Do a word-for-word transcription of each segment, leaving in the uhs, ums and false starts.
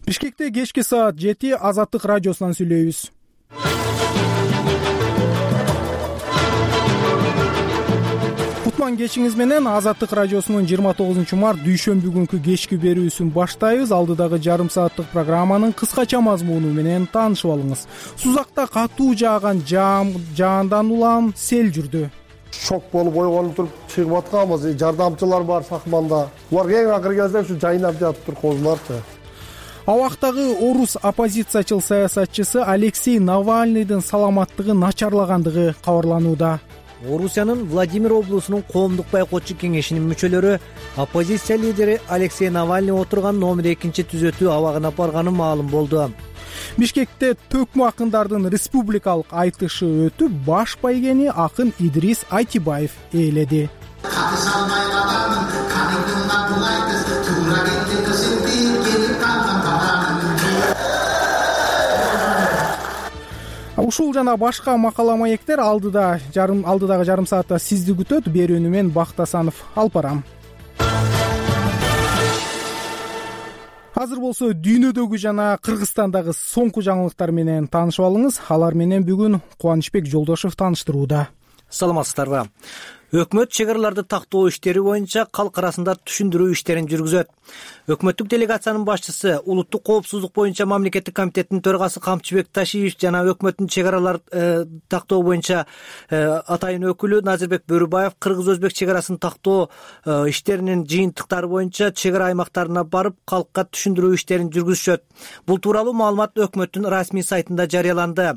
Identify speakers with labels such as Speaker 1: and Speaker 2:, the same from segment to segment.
Speaker 1: Бишкекте кечки саат жети Азаттык радиосунан сүйлөйбүз. Кутман кечиңиз менен Азаттык радиосунун жыйырма тогузунчу март дүйшөмбү күнкү кечки берүүсүн баштайбыз. Алдыдагы жарым сааттык программанын кыскача мазмуну менен таанышып алыңыз. Сузакта катуу жааган жаам жаандан улам сел жүрдү.
Speaker 2: Шок болуп ойгонуп туруп чыгып атканбыз. Жардамчылар бар Сакманда. Булар эң акыркы кезде ушу жайнап жатып тургузуларчы.
Speaker 1: Абактагы орус оппозициячыл саясатчысы Алексей Навальныйдын саламаттыгы начарлагандыгы кабарланууда.
Speaker 3: Орусиянын Владимир облусунун коомдук байкоочу кеңешинин мүчөлөрү оппозиция лидери Алексей Навальный отурган номер экинчи түзөтүү абагына барганы маалым болду.
Speaker 1: Бишкекте төкмө акындардын республикалык айтышы өтүп, баш байгени акын Идрис Айтибаев ээледи. Ушул жана башка макала маектер алдыда жарым алдыдагы жарым саатта сизди күтөт. Берүүнү мен Бактасанов алып барам. Азыр болсо дүйнөдөгү жана Кыргызстандагы соңку жаңылыктар менен таанышып алыңыз. Алар менен бүгүн Кубанычбек Жолдошов тааныштырууда.
Speaker 3: Саламатсыздарбы? Өкмөт чек араларды тактоо иштери боюнча калк арасында түшүндүрүү иштерин жүргүзөт. Өкмөттүк делегациянын башчысы, улуттук коопсуздук боюнча мамлекеттик комитеттин төрагасы Камчыбек Ташиев жана өкмөттүн чек аралар э, тактоо боюнча э, атайын өкүлү Назирбек Бөрүбаев кыргыз-өзбек чек арасын тактоо э, иштеринин жыйынтыктары боюнча чек ара аймактарына барып, калкка түшүндүрүү иштерин жүргүзүшөт. Бул тууралуу маалымат өкмөттүн расмий сайтында жарыяланды.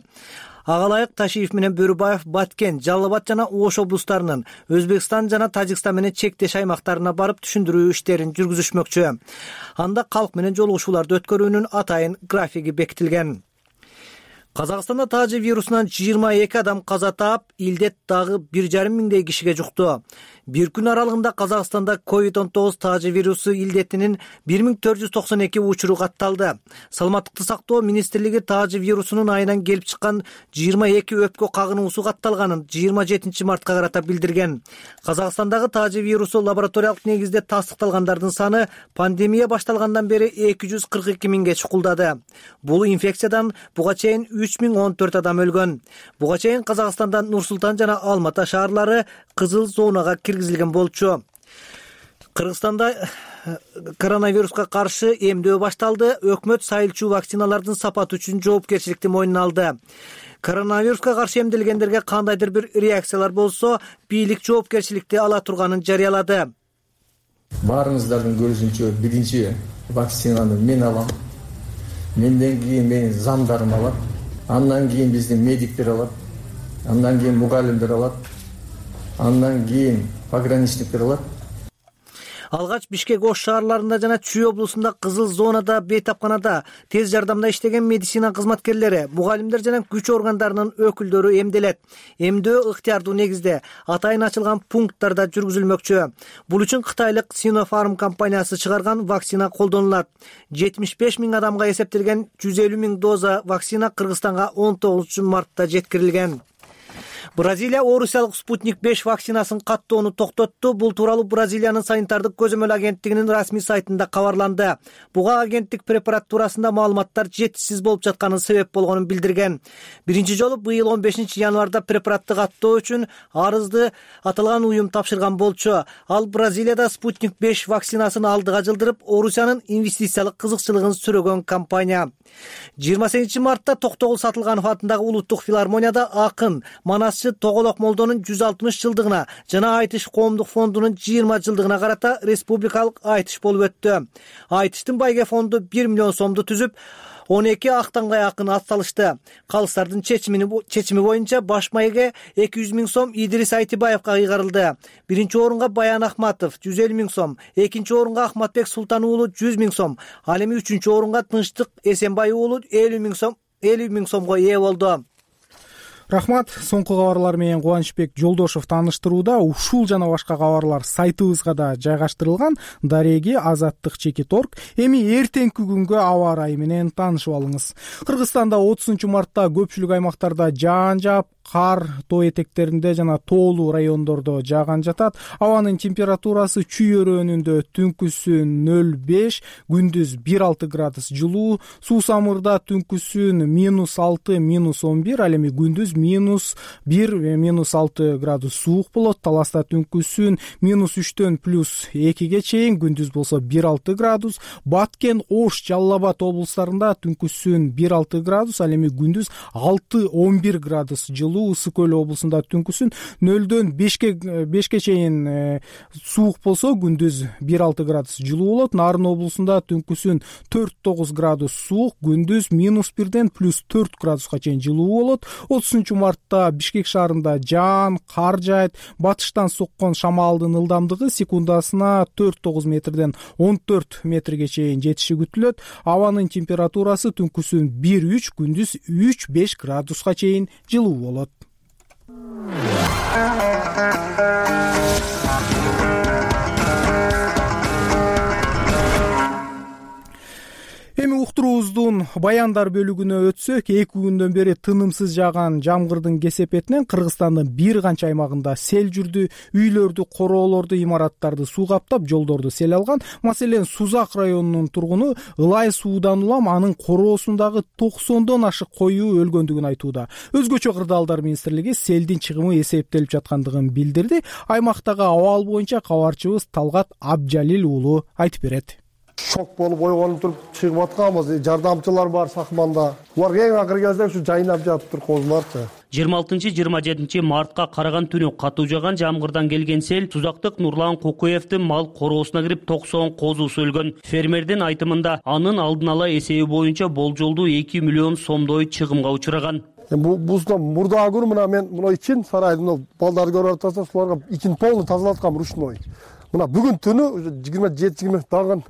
Speaker 3: Ага ылайык Ташиев менен Бөрүбаев Баткен, Жалал Абад жана Ош облустарынын Өзбекстан жана Тажикстан менен чектеш аймактарына барып түшүндүрүү иштерин жүргүзүшмөкчү. Анда калк менен жолугушууларды өткөрүүнүн атайын графиги бекитилген. Казакстанда таажы вирусунан жыйырма эки адам каза таап, илдет дагы бир жарым миңдей кишиге жукту. Бир күн аралыгында Казакстанда ковид он тогуз таажы вирусу илдетинин бир миң төрт жүз токсон эки учуру катталды. Саламаттыкты сактоо министрлиги таажы вирусунун айынан келип чыккан жыйырма эки өпкө кагынуусу катталганын жыйырма жетинчи мартка карата билдирген. Казакстандагы таажы вирусу лабораториялык негизде тастыкталгандардын саны пандемия башталгандан бери эки жүз кырк эки миңге чукулдады. Бул инфекциядан буга чейин үч миң он төрт адам өлгөн. Буга чейин Казакстанда Нур-Султан жана Алматы шаарлары кызыл зонага киргизилген болчу. Кыргызстанда коронавируска каршы эмдөө башталды. Өкмөт сайылчу вакциналардын сапаты үчүн жоопкерчиликти мойнуна алды. Коронавируска каршы эмделгендерге кандайдыр бир реакциялар болсо, бийлик жоопкерчиликти ала турганын жарыялады.
Speaker 4: Баарыңыздардын көрүшүнчө биринчи вакцинаны мен алам. Менден кийин менин замдарым алат. Андан кийин биздин медиктер алат. Андан кийин мугалимдер алат. Андан кийин пограничниктер алат.
Speaker 3: Алгач Бишкек, Ош шаарларында жана Чүй облусунда кызыл зонада, бейтапканада, тез жардамда иштеген медицина кызматкерлери, мугалимдер жана күч органдарынын өкүлдөрү эмделет. Эмдөө ыктыярдуу негизде атайын ачылган пункттарда жүргүзүлмөкчү. Бул үчүн Кытайлык Sinopharm компаниясы чыгарган вакцина колдонулат. жетимиш беш миң адамга эсептелген жүз элүү миң доза вакцина Кыргызстанга он тогузунчу мартта жеткирилген. Бразилия Орусиялык Спутник беш вакцинасын каттоону токтотту. Бул тууралуу Бразилиянын санитардык көзөмөл агенттигинин расмий сайтында кабарланды. Буга агенттик препарат туурасында маалыматтар жетишсиз болуп жатканын себеп болгонун билдирген. Биринчи жолу быйыл он бешинчи январда препаратты каттоо үчүн арызды аталган уюм тапшырган болчу. Ал Бразилияда Спутник беш вакцинасын алдыга жылдырып, Орусиянын инвестициялык кызыкчылыгын сүрөгөн компания. жыйырма сегизинчи мартта Токтогул Сатылганов атындагы улуттук филармонияда акын Манас Тоголок Молдонун жүз алтымыш жылдыгына жана Айтыш коомдук фондунун жыйырма жылдыгына карата республикалык айтыш болуп өттү. Айтыштын байге фонду бир миллион сомду түзүп, он эки актангай акын ат салышты. Калыстардын чечими боюнча баш байге эки жүз миң сом Идрис Айтибаевка ыйгарылды. Биринчи орунга Баян Ахматов жүз элүү миң сом, экинчи орунга Ахматбек Султан уулу жүз миң сом, ал эми үчүнчү орунга Тынчтык Эсенбай уулу элүү миң сом элүү миң сомго ээ болду.
Speaker 1: Рахмат. Соңку кабарлар менен Кубанычбек Жолдошов тааныштырууда. Ушул жана башка кабарлар сайтыбызга да жайгаштырылган. Дареги Азаттык чекит орг. Эми эртеңки күнгө аба ырайы менен таанышып алыңыз. Кыргызстанда отузунчу мартта көпчүлүк аймактарда жаан жаап, кар тоо этектеринде жана тоолуу райондордо жааган жатат. Абанын температурасы Чүй өрөөнүндө түнкүсүн нөл беш, күндүз бир алты градус жылуу, Суу Самырда түнкүсүн минус алты, минус он бир, ал эми күндүз минус бир, минус алты градус суук болот. Таласта түнкүсүн минус үчтөн плюс экиге чейин, күндүз болсо бир алты градус. Баткен, Ош, Жалал Абад облустарында түнкүсүн бир алты градус, ал эми күндүз алты он бир градус жылуу. Ысык көл облусунда түнкүсүн нөлдөн бешке бешке чейин суук болсо, күндүз бир алты градус жылуу болот. Нарын облусунда түнкүсүн төрт тогуз градус суук, күндүз минус бирден плюс төрт градуска чейин жылуу болот. отузунчу мартта Бишкек шаарында жаан, кар жаайт. Батыштан соккон шамалдын ылдамдыгы секундасына төрт тогуз метрден он төрт метрге чейин жетиши күтүлөт. Абанын температурасы түнкүсүн бир үч, күндүз үч беш градуска чейин жылуу болот. Эми уктуруубуздун баяндар бөлүгүнө өтсөк, эки күндөн бери тынымсыз жааган жамгырдын кесепетинен Кыргызстандын бир канча аймагында сел жүрдү. Үйлөрдү, короолорду, имараттарды суу каптап, жолдорду сел алган. Маселен, Сузак районунун тургуну ылай суудан улам анын короосундагы токсондон ашык кою өлгөндүгүн айтууда. Өзгөчө Кырдаалдар министрлиги селдин чыгымы эсептелип жаткандыгын билдирди. Аймактагы абал боюнча кабарчыбыз Талгат Абджалил уулу айтып берет.
Speaker 2: Шок болуп ойгонуп туруп чыгып атканбыз. Жардамчылар бар Сакманда. Улар эң акыркы кезде ушу жайнап жатып тур козуларчы.
Speaker 5: жыйырма алтынчы жыйырма жетинчи мартка караган түнү катуу жааган жамгырдан келген сел Сузактык Нурлан Кокуевдин мал короосуна кирип токсон козусу өлгөн. Фермердин айтымында анын алдын ала эсеби боюнча болжолдуу эки миллион сомдой чыгымга учураган.
Speaker 2: Бу бузда мурдагы күнү мына мен мына ичин сарайдын балдарды көрүп атасыз, буларга ичин полный тазалаткам ручной. Мына бүгүн түнү жыйырма жети жыйырма дагы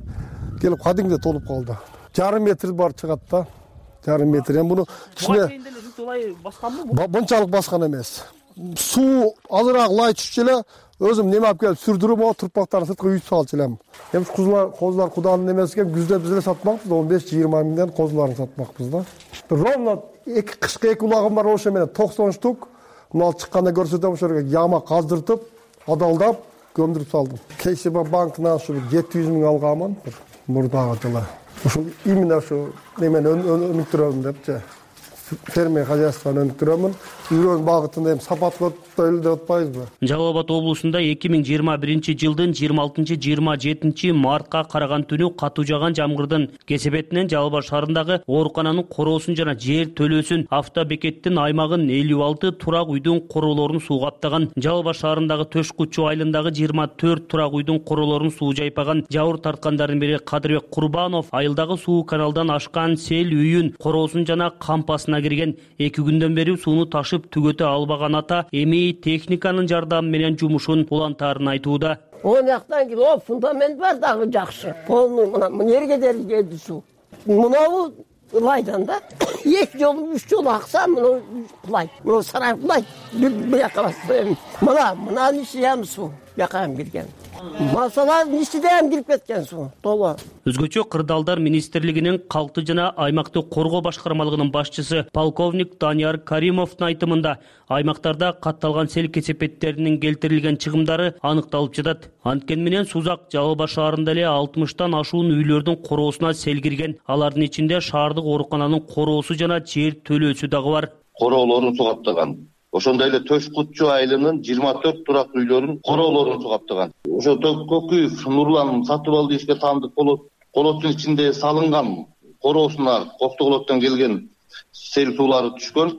Speaker 2: келип кадимде толуп калды. Жарым метр бар чыгат да. Жарым метр. Эми буну кичине Бунчалык баскан эмес. Суу азыраак лай түшчү эле, өзүм неме алып келип сүрдүрүп, о турпактарын сырткы үйүп салчу элем. Эми козулар, козулар Куданын эмес экен, күздө биз эле сатмакпыз, он беш жыйырма миңден козуларын сатмакпыз да. Ровно эки кышкы эки улагым бар, ошо менен токсон штук. Мына чыкканда көрсөтөм, ошо яма каздыртып, адалдап, көмдүрүп салдым. КСБ банкынан ушу жети жүз миң алганмын бир мурдагы жылы. Ушул именно ушу немени өнүктүрөм депчи. Фермер хозяйствону өнүктүрөмүн. Үйрөн багытында эми сапатка өтпөйлү деп атпайбызбы?
Speaker 5: Жалал Абад облусунда эки миң жыйырма биринчи жылдын жыйырма алтынчы жыйырма жетинчи мартка караган түнү катуу жааган жамгырдын кесепетинен Жалал Абад шаарындагы оорукананын короосун жана жер төлөөсүн, автобекеттин аймагын, элүү алты турак үйдүн короолорун суу каптаган. Жалал Абад шаарындагы Төш Кучу айылындагы жыйырма төрт турак үйдүн короолорун суу жайпаган. Жабыр тарткандардын бири Кадырбек Курбанов айылдагы суу каналдан ашкан сел үйүн, короосун жана кампасына кирген. Эки күндөн бери сууну ташып түгөтө албаган ата эми техниканын жардамы менен жумушун улантаарын айтууда.
Speaker 6: Он жактан кийин о фундамент бар дагы жакшы. Полный мына жерге дери келди суу. Мынабу ылайдан да. Эки жолу, үч жолу акса, мына кулайт. Мына сарай кулайт. Бир жака басты. Мына, мынанын ичи ham суу. Жакан кирген. Масаланын ичиде ham кирип кеткен суу. Толо.
Speaker 5: Өзгөчө Кырдаалдар министрлигинин калкты жана аймактык коргоо башкармалыгынын башчысы полковник Данияр Каримовдун айтымында аймактарда катталган сел кесепеттеринин келтирилген чыгымдары аныкталып жатат. Анткени менен Сузак, Жалал Абад шаарында эле алтымыштан ашуун үйлөрдүн короосуна сел кирген. Алардын ичинде шаардык оорукананын короосу жана жер төлөөсү дагы бар.
Speaker 7: Короолорун суу каптаган. Ошондой эле Төш Кучу айылынын жыйырма төрт турак үйлөрүн короолорун суу каптаган. Ошо Көкүев Нурлан сатып алды ишке таандык болот. Колоттун ичинде салынган короосуна Коктогулоттон келген сел суулары түшкөн.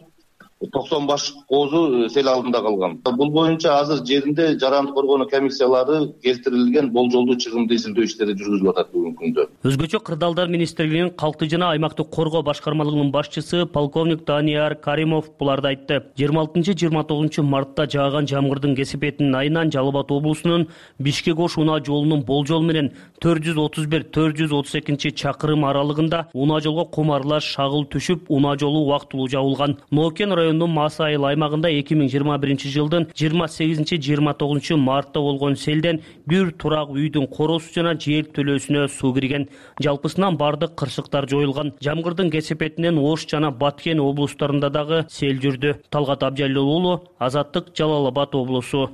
Speaker 7: токсон баш козу сел алдында калган. Бул боюнча азыр жеринде жарандык коргонуу комиссиялары келтирилген болжолдуу чыгымды изилдөө иштери жүргүзүлүп атат бүгүнкү күндө.
Speaker 5: Өзгөчө Кырдаалдар министрлигинин калкты жана аймактык коргоо башкармалыгынын башчысы полковник Данияр Каримов буларды айтты. жыйырма алтынчы жыйырма тогузунчу мартта жааган жамгырдын кесепетинин айынан Жалал Абад облусунун Бишкек-Ош унаа жолунун болжол менен төрт жүз отуз бир төрт жүз отуз экинчи чакырым аралыгында унаа жолго кум аралаш шагыл түшүп, унаа жолу убактылуу жабылган. Нокен району районунун Мас айыл аймагында эки миң жыйырма биринчи жылдын жыйырма сегизинчи жыйырма тогузунчу мартта болгон селден бир турак үйдүн короосу жана жер төлөөсүнө суу кирген. Жалпысынан бардык кырсыктар жоюлган. Жамгырдын кесепетинен Ош жана Баткен облустарында дагы сел жүрдү. Талгат Абжалил уулу, Азаттык, Жалал Абад облусу.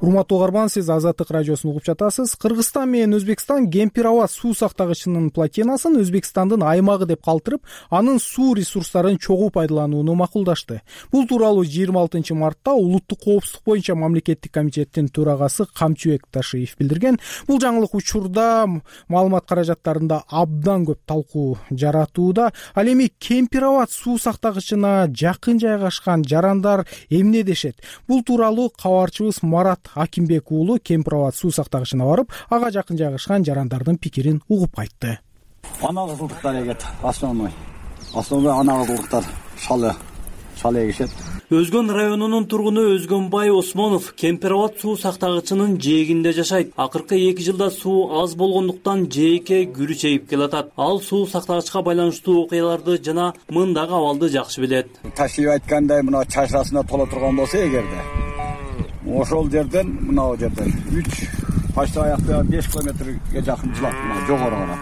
Speaker 1: Урматтуу угарман, сиз Азаттык радиосун угуп жатасыз. Кыргызстан менен Өзбекстан Кемпир аба суу сактагычынын плотинасын Өзбекстандын аймагы деп калтырып, анын суу ресурстарын чогуу пайдаланууну макулдашты. Бул тууралуу жыйырма алтынчы мартта Улуттук коопсуздук боюнча мамлекеттик комитеттин төрагасы Камчыбек Ташиев билдирген. Бул жаңылык учурда маалымат каражаттарында абдан көп талкуу жаратууда. Ал эми Кемпир аба суу сактагычына жакын жайгашкан жарандар эмне дешет? Бул тууралуу кабарчыбыз Марат Акимбек уулу Кемпир аба суу сактагычына барып, ага жакын жайгашкан жарандардын пикирин угуп кайтты.
Speaker 8: Ана кызылдыктар эгет, основной. Основной ана кызылдыктар шалы, шалы эгишет.
Speaker 5: Өзгөн районунун тургуну Өзгөнбай Осмонов Кемпир аба суу сактагычынын жээгинде жашайт. Акыркы эки жылда суу аз болгондуктан жээкке күрүчейип келатат. Ал суу сактагычка байланыштуу окуяларды жана мындагы абалды жакшы билет.
Speaker 8: Ташип айткандай, мына чашасына тола турган болсо эгерде, ошол жерден, мына жерден үч почти аякта беш километрге жакын жылат, мына жогору карап.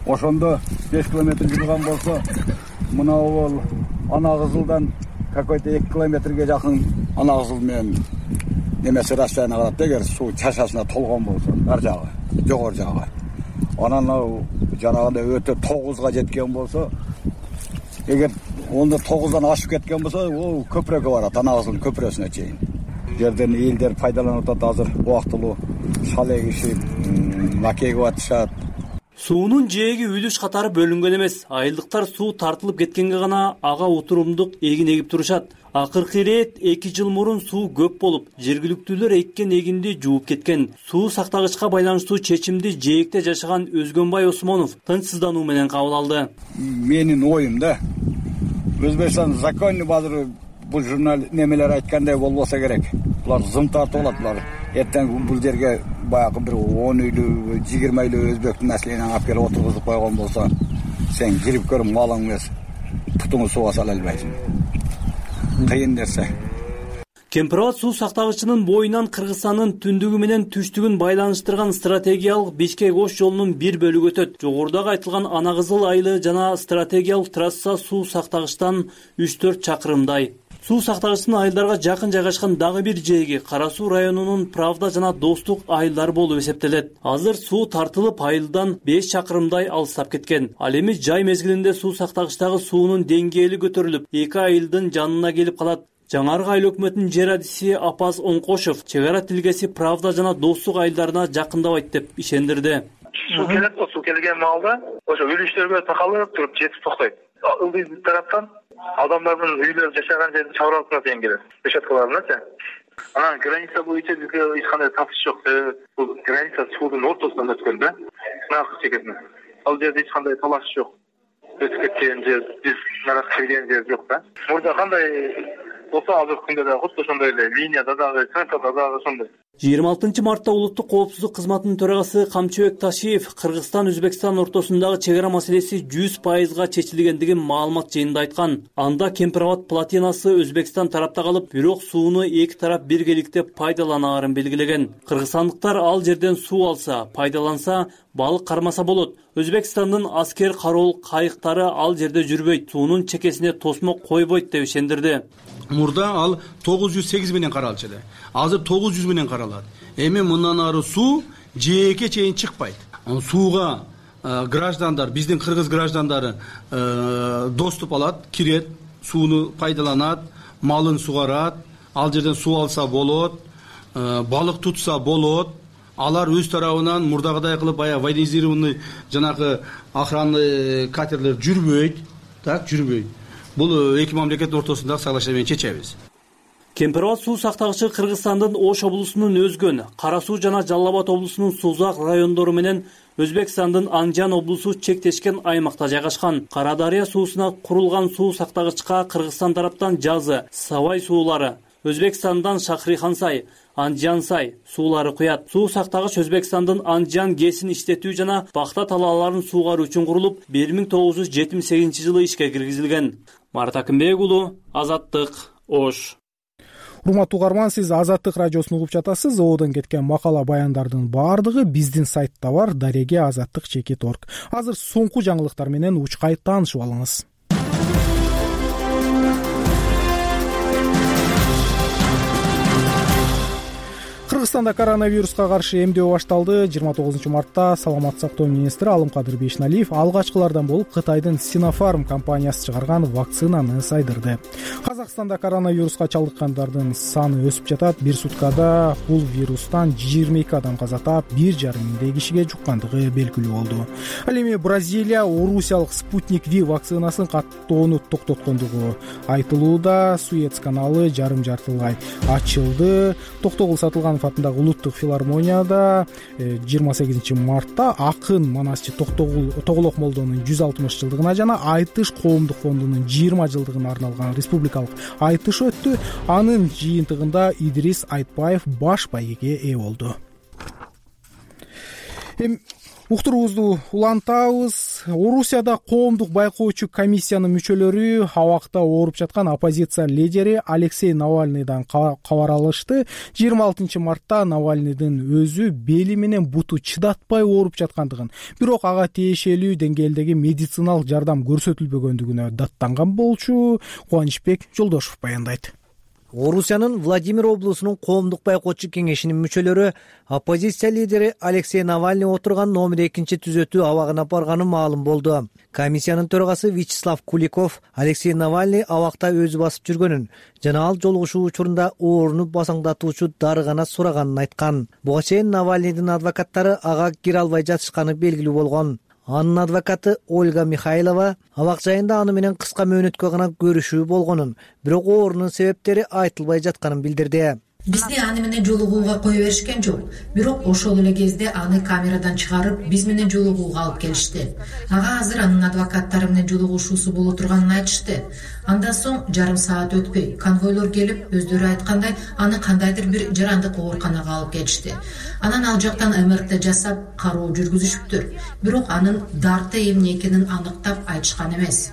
Speaker 8: Ошондо беш километр жүргөн болсо, мына ол ана кызылдан какой-то эки километрге жакын ана кызыл менен немеси расстояние калат эгер суу чашасына толгон болсо, ар жагы, жогору жагы. Анан жанагындай өтө тогузга жеткен болсо, эгер онда тогуздан ашып кеткен болсо, ол көпүрөккө барат, ана кызылдын көпүрөсүнө чейин. Жерден элдер пайдаланып атат, азыр убактылуу шал эгишип, макей кылып атышат.
Speaker 5: Суунун жээги үлүш катары бөлүнгөн эмес. Айылдыктар суу тартылып кеткенге гана ага утурумдук эгин эгип турушат. Акыркы ирет эки жыл мурун суу көп болуп, жергиликтүүлөр эккен эгинди жууп кеткен. Суу сактагычка байланыштуу чечимди жээкте жашаган Өзгөнбай Осмонов тынчсыздануу менен кабыл алды.
Speaker 8: Менин оюм да, Өзбекстан законный базыр бул журнал немелер айткандай болбосо керек. Булар зым тартып алат, булар эртең бул жерге баягы бир он үйлүү, жыйырма үйлүү өзбектин населениянын алып келип отургузуп койгон болсо, сен кирип көрүп малың эмес, путуңду сууга сала албайсың. Кыйын нерсе.
Speaker 5: Кемпир аба суу сактагычынын боюнан Кыргызстандын түндүгү менен түштүгүн байланыштырган стратегиялык Бишкек-Ош жолунун бир бөлүгү өтөт. Жогорудагы айтылган Ана Кызыл айылы жана стратегиялык трасса суу сактагычтан үч төрт чакырымдай. Суу сактагычтын айылдарга жакын жайгашкан дагы бир жээги Кара Суу районунун Правда жана Достук айылдары болуп эсептелет. Азыр суу тартылып айылдан беш чакырымдай алыстап кеткен. Ал эми жай мезгилинде суу сактагычтагы суунун деңгээли көтөрүлүп, эки айылдын жанына келип калат. Жаңаркы айыл өкмөтүнүн жер адиси Апаз Оңкошов чек ара тилгеси Правда жана Достук айылдарына жакындабайт деп ишендирди.
Speaker 9: Суу келет, суу келген маалда ошо үлүштөргө такалып туруп жетип токтойт. Ылдый тараптан адамдардын үйлөрү жашаган жердин чабыралысына чейин келет. Решеткаларына. Анан граница боюнча бизге эч кандай татыш жок. Бул граница суудун ортосунан өткөн да. Наркы чекесине. Ал жерде эч кандай талаш жок. Өтүп кеткен жер, биз наркы чеккен жер жок да. Мурда кандай болсо азыркы күндө да куту ошондой эле линияда дагы, центрда дагы ошондой.
Speaker 5: жыйырма алтынчы мартта Улуттук коопсуздук кызматынын төрагасы Камчыбек Ташиев Кыргызстан Өзбекстан ортосундагы чек ара маселеси жүз пайызга чечилгендигин маалымат жыйынында айткан. Анда Кемпир аба плотинасы Өзбекстан тарапта калып, бирок сууну эки тарап биргеликте пайдаланаарын белгилеген. Кыргызстандыктар ал жерден суу алса, пайдаланса, балык кармаса болот. Өзбекстандын аскер кароол кайыктары ал жерде жүрбөйт, суунун чекесине тосмо койбойт деп ишендирди.
Speaker 10: Мурда ал тогуз жүз сегиз менен каралчу эле. Азыр тогуз жүз менен каралат. Эми мындан ары суу жээкке чейин чыкпайт. Сууга э, граждандар, биздин кыргыз граждандары э, доступ алат, кирет, сууну пайдаланат, малын сугарат, ал жерден суу алса болот, э, балык тутса болот. Алар өз тарабынан мурдагыдай кылып баягы военизированный жанагы охранный катерлер жүрбөйт, так жүрбөйт. Бул эки мамлекеттин ортосундагы соглашение менен чечебиз.
Speaker 5: Кемпир аба суу сактагычы Кыргызстандын Ош облусунун Өзгөн, Кара Суу жана Жалал Абад облусунун Сузак райондору менен Өзбекстандын Анжан облусу чектешкен аймакта жайгашкан. Кара Дарыя суусуна курулган суу сактагычка Кыргызстан тараптан жазы, сабай суулары,
Speaker 11: Өзбекстандан Шахрихансай, Анджансай суулары куят. Суу сактагыч Өзбекстандын Анджан ГЭСин иштетүү жана бакта талааларын суугаруу үчүн курулуп, бир миң тогуз жүз жетимиш сегизинчи жылы ишке киргизилген. Марат Акымбек уулу, Азаттык, Ош.
Speaker 1: Урматтуу угарман, сиз Азаттык радиосун угуп жатасыз. Оодон кеткен макала баяндардын баардыгы биздин сайтта бар, дареге азаттык чекит орг. Азыр соңку жаңылыктар менен учкай таанышып алыңыз. Кыргызстанда коронавируска каршы эмдөө башталды. жыйырма тогузунчу мартта Саламаттык сактоо министри Алымкадыр Бейшеналиев алгачкылардан болуп Кытайдын Sinopharm компаниясы чыгарган вакцинаны сайдырды. Казакстанда коронавируска чалдыккандардын саны өсүп жатат. Бир суткада бул вирустан жыйырма эки адам каза таап, бир жарым миңдей кишиге жуккандыгы белгилүү болду. Ал эми Бразилия орусиялык Спутник V вакцинасын каттоону токтоткондугу айтылууда. Суэц каналы жарым жартылай ачылды. Токтогул Сатылганов атындагы улуттук филармонияда жыйырма сегизинчи мартта акын манасчы Тоголок молдонун жүз алтымыш жылдыгына жана Айтыш коомдук фондунун жыйырма жылдыгына арналган республикалык айтыш өттү. Анын жыйынтыгында Идрис Айтбаев баш байгеге ээ болду. Эми уктуруубузду улантабыз. Орусияда коомдук байкоочу комиссиянын мүчөлөрү абакта ооруп жаткан оппозиция лидери Алексей Навальныйдан кабар алышты. жыйырма алтынчы мартта Навальныйдын өзү бели менен буту чыдатпай ооруп жаткандыгын, бирок ага тиешелүү деңгээлдеги медициналык жардам көрсөтүлбөгөндүгүнө даттанган болчу. Кубанычбек Жолдошев баяндайт.
Speaker 3: Орусиянын Владимир облусунун коомдук байкоочу кеңешинин мүчөлөрү оппозиция лидери Алексей Навальный отурган номер экинчи түзөтүү абагына барганы маалым болду. Комиссиянын төрагасы Вячеслав Куликов Алексей Навальный абакта өзү басып жүргөнүн жана ал жолугушуу учурунда ооруну басаңдатуучу дары гана сураганын айткан. Буга чейин Навальныйдын адвокаттары ага кире албай жатышканы белгилүү болгон. Анын адвокаты Ольга Михайлова абак жайында аны менен кыска мөөнөткө гана көрүшүү болгонун, бирок оорунун себептери айтылбай жатканын билдирди.
Speaker 12: Бизди аны менен жолугууга кое беришкен жок. Бирок ошол эле кезде аны камерадан чыгарып, биз менен жолугууга алып келишти. Ага азыр анын адвокаттары менен жолугушуусу боло турганын айтышты. Андан соң жарым саат өтпөй конвойлор келип, өздөрү айткандай, аны кандайдыр бир жарандык ооруканага алып келишти. Анан ал жактан эм эр тэ жасап, кароо жүргүзүшүптүр. Бирок анын дарты эмне экенин аныктап айтышкан эмес.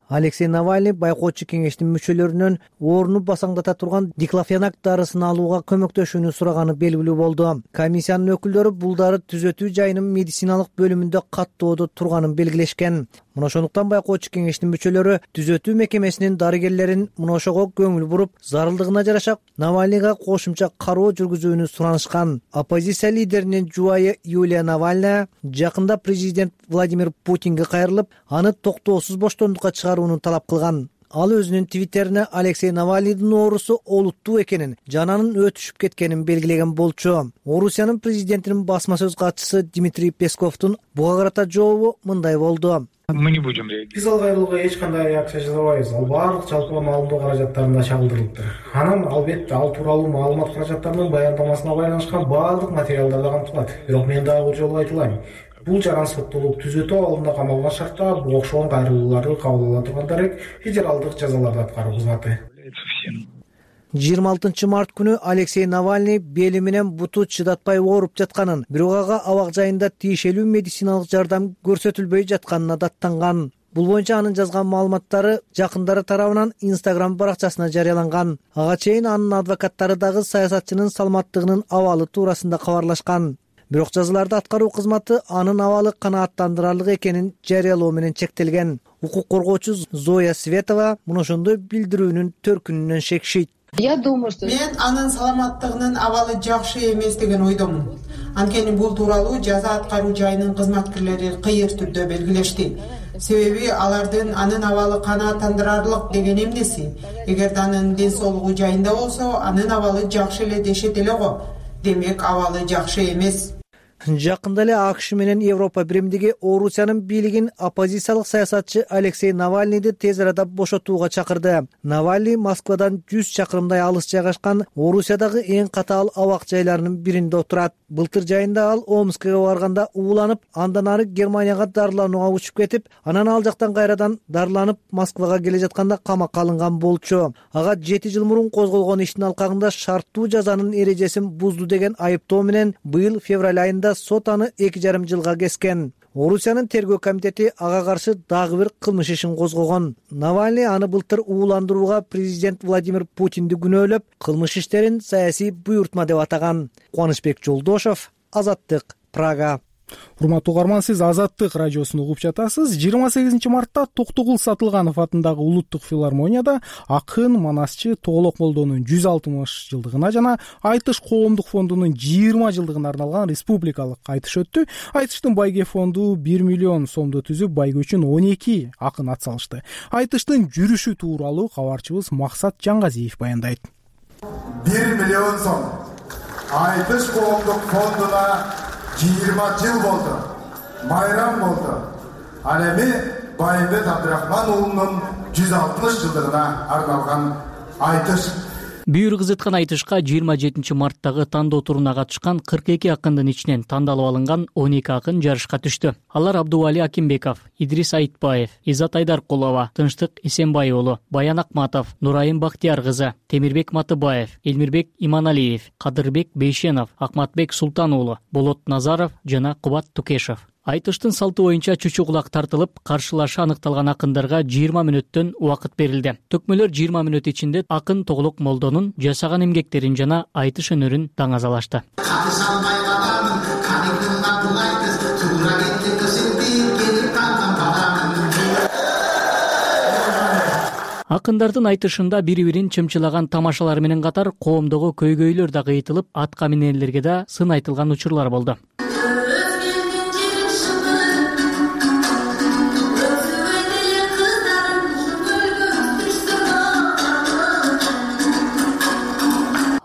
Speaker 3: Алексей Навальный байкоочу кеңештин мүчөлөрүнөн ооруну басаңдата турган диклофенак дарысын алууга көмөктөшүүнү сураганы белгилүү болду. Комиссиянын өкүлдөрү бул дары түзөтүү жайынын медициналык бөлүмүндө каттоодо турганын белгилешкен. Мына ошондуктан байкоочу кеңештин мүчөлөрү түзөтүү мекемесинин дарыгерлерин мына ошого көңүл буруп, зарылдыгына жараша Навальныйга кошумча кароо жүргүзүүнү суранышкан. Оппозиция лидеринин жубайы Юлия Навальная жакында президент Владимир Путинге кайрылып, аны токтоосуз боштондукка чыгарууну талап кылган. Ал өзүнүн твиттерине Алексей Навальныйдын оорусу олуттуу экенин, жананын өтүшүп кеткенин белгилеген болчу. Орусиянын президентинин басма сөз катчысы Дмитрий Песковдун буга карата жообу мындай болду.
Speaker 13: Мы не будем реагировать.
Speaker 14: Биз ал кайрылууга эч кандай акча жазабайбыз. Ал баардык жалпы маалымдоо каражаттарында чагылдырылыптыр. Анан албетте ал тууралуу маалымат каражаттарынын баяндамасына байланышкан баардык материалдарда камтылат. Бирок мен дагы бир жолу айтылайын. Бул жаран соттолуп түзөтүү абалында камалган шартта бул окшогон кайрылууларды кабыл ала турган дарек федералдык жазаларды аткаруу кызматы.
Speaker 3: жыйырма алтынчы март күнү Алексей Навальный бели менен буту чыдатпай ооруп жатканын, бирок ага абак жайында тиешелүү медициналык жардам көрсөтүлбөй жатканына даттанган. Бул боюнча анын жазган маалыматтары жакындары тарабынан Instagram баракчасына жарыяланган. Ага чейин анын адвокаттары дагы саясатчынын саламаттыгынын абалы туурасында кабарлашкан. Бирок жазыларды аткаруу кызматы анын абалы канааттандырарлык экенин жарыялоо менен чектелген. Укук коргоочу Зоя Светова мына ошондой билдирүүнүн төркүнүнөн шекишет.
Speaker 15: Я думаю, что мен анын саламаттыгынын абалы жакшы эмес деген ойдомун. Анткени бул тууралуу жаза аткаруу жайынын кызматкерлери кыйыр түрдө белгилешти. Себеби алардын анын абалы канааттандырарлык деген эмнеси? Эгерде анын ден соолугу жайында болсо, анын абалы жакшы эле дешет эле го. Демек абалы жакшы эмес.
Speaker 3: Жакында эле АКШ менен Европа биримдиги Орусиянын бийлигин оппозициялык саясатчы Алексей Навальныйды тез арада бошотууга чакырды. Навальный Москвадан жүз чакырымдай алыс жайгашкан Орусиядагы эң катаал абак жайларынын биринде отурат. Былтыр жайында ал Омскага барганда ууланып, андан ары Германияга дарыланууга учуп кетип, анан ал жактан кайрадан дарыланып Москвага келе жатканда камакка алынган болчу. Ага жети жыл мурун козголгон иштин алкагында шарттуу жазанын эрежесин бузду деген айыптоо менен быйыл февраль айында сот аны эки жарым жылга кескен. Орусиянын тергөө комитети ага каршы дагы бир кылмыш ишин козгогон. Навальный аны былтыр ууландырууга президент Владимир Путинди күнөөлөп, кылмыш иштерин саясий буйртма деп атаган. Кубанычбек Жолдошов, Азаттык, Прага.
Speaker 1: Урматтуу угарман, сиз Азаттык радиосун угуп жатасыз. жыйырма сегизинчи мартта Токтогул Сатылганов атындагы Улуттук филармонияда акын, манасчы Тоголок Молдонун жүз алтымыш жылдыгына жана Айтыш коомдук фондунун жыйырма жылдыгына арналган республикалык айтыш өттү. Айтыштын байге фонду бир миллион сомду түзүп, байге үчүн он эки акын ат салышты. Айтыштын жүрүшү тууралуу кабарчыбыз Максат Жангазиев баяндайт.
Speaker 13: бир миллион сом Айтыш коомдук фондуна жыйырма жыл болду. Майрам болду. Ал эми Байымбет Абдрахман уулунун жүз алтымыш жылдыгына арналган айтыш.
Speaker 16: Бүйүр кызыткан айтышка жыйырма жетинчи марттагы тандоо туруна катышкан кырк эки акындын ичинен тандалып алынган он эки акын жарышка түштү. Алар Абдували Акимбеков, Идрис Айтбаев, Изат Айдаркулова, Тынчтык Эсенбай уулу, Баян Акматов, Нурайым Бактияр кызы, Темирбек Матыбаев, Элмирбек Иманалиев, Кадырбек Бейшенов, Акматбек Султан уулу, Болот Назаров жана Кубат Тукешов. Айтыштын салты боюнча чүчү кулак тартылып, каршылашы аныкталган акындарга жыйырма мүнөттөн убакыт берилди. Төкмөлөр жыйырма мүнөт ичинде акын Тоголок Молдонун жашаган эмгектерин жана айтыш өнөрүн таңазалашты. Акындардын айтышында бири-бирин чымчылаган тамашалар менен катар коомдогу көйгөйлөр да кыйтылып, атка минерлерге да сын айтылган учурлар болду.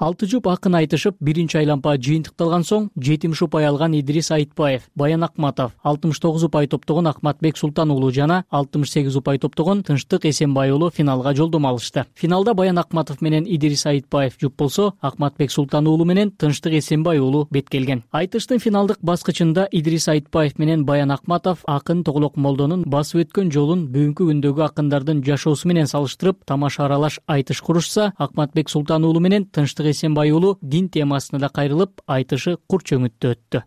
Speaker 16: Алты жұп акын айтышып, биринчи айлампа жыйынтыкталган соң, жетимиш упай алган Идрис Айтбаев, Баян Акматов, алтымыш тогуз упай топтогон Акматбек Султан уулу жана алтымыш сегиз упай топтогон Тынчтык Эсенбай уулу финалга жолдомо алышты. Финалда Баян Акматов менен Идрис Айтбаев жұп болсо, Акматбек Султан уулу менен Тынчтык Эсенбай уулу бет келген. Айтыштын финалдык баскычында Идрис Айтбаев менен Баян Акматов акын Тоголок Молдонун басып өткөн жолун бүгүнкү күндөгү акындардын жашоосу менен салыштырып, тамаша аралаш айтыш курушса, Акматбек Султан уулу менен Тынчтык Эсенбай уулу дин темасына да кайрылып, айтышы кур чөмүттө өттү.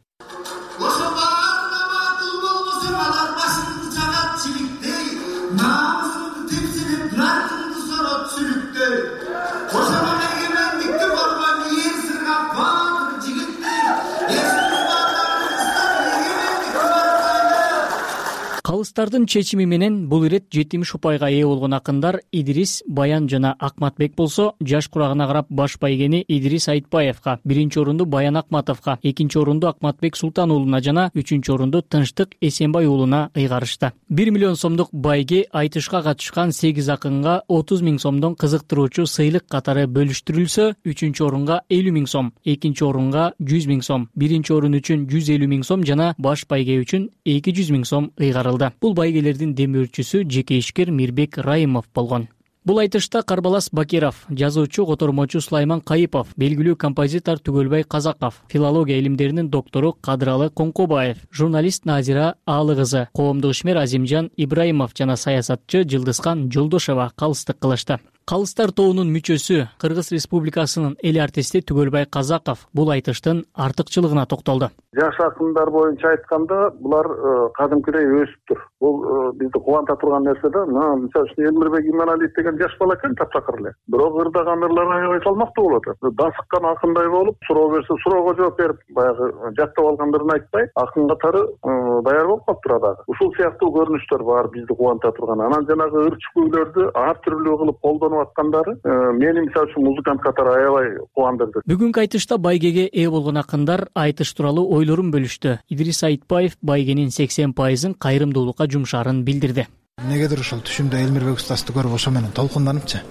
Speaker 16: Калыстардын чечими менен бул ирет жетимиш упайга ээ болгон акындар Идрис, Баян жана Акматбек болсо, жаш курагына карап баш байгени Идрис Айтбаевга, биринчи орунду Баян Акматовго, экинчи орунду Акматбек Султан уулуна жана үчүнчү орунду Тынчтык Эсенбай уулуна ыйгарышты. бир миллион сомдук байге айтышка катышкан сегиз акынга отуз миң сомдон кызыктыруучу сыйлык катары бөлүштүрүлсө, үчүнчү орунга элүү миң сом, экинчи орунга жүз миң сом, биринчи орун үчүн жүз элүү миң сом жана баш байге үчүн эки жүз миң сом ыйгарылды. Бул байгелердин демөөрчүсү жеке ишкер Мирбек Райымов болгон. Бул айтышта Карбалас Бакиров, жазуучу котормочу Сулайман Кайыпов, белгилүү композитор Түгөлбай Казаков, филология илимдеринин доктору Кадыралы Коңкобаев, журналист Назира Аалы кызы, коомдук ишмер Азимжан Ибраимов жана саясатчы Жылдызкан Жолдошова калыстык кылышты. Калыстар тобунун мүчөсү, Кыргыз Республикасынын эл артисти Түгөлбай Казаков бул айтыштын артыкчылыгына токтолду.
Speaker 17: Жаш акындар боюнча айтканда, булар кадимкидей өсүптүр. Бул бизди кубанта турган нерсе да. Мисалы үчүн Элмирбек Иманалиев деген жаш бала экен, таптакыр эле. Бирок ырдаган ырлар аябай салмактуу болот. Дасыккан акындай болуп, суроо берсе суроого жооп берип, баягы жактап алгандарын айтпай, акын катары даяр болуп калыптыр дагы. Ушул сыяктуу көрүнүштөр бар бизди кубанта турган. Анан жанагы ырчы күйлөрдү ар түрлүү кылып колдонуп аткандары мени мисалы үчүн музыкант катары аябай кубандырды.
Speaker 16: Бүгүнкү айтышта байгеге ээ болгон акындар айтыш тууралуу ойлорун бөлүштү. Идрис Айтбаев байгенин сексен пайызын кайрымдуулукка жумшаарын билдирди.
Speaker 18: Негедир ушул түшүмдө Элмирбек устасты көрүп ошо менен толкунданыпчы.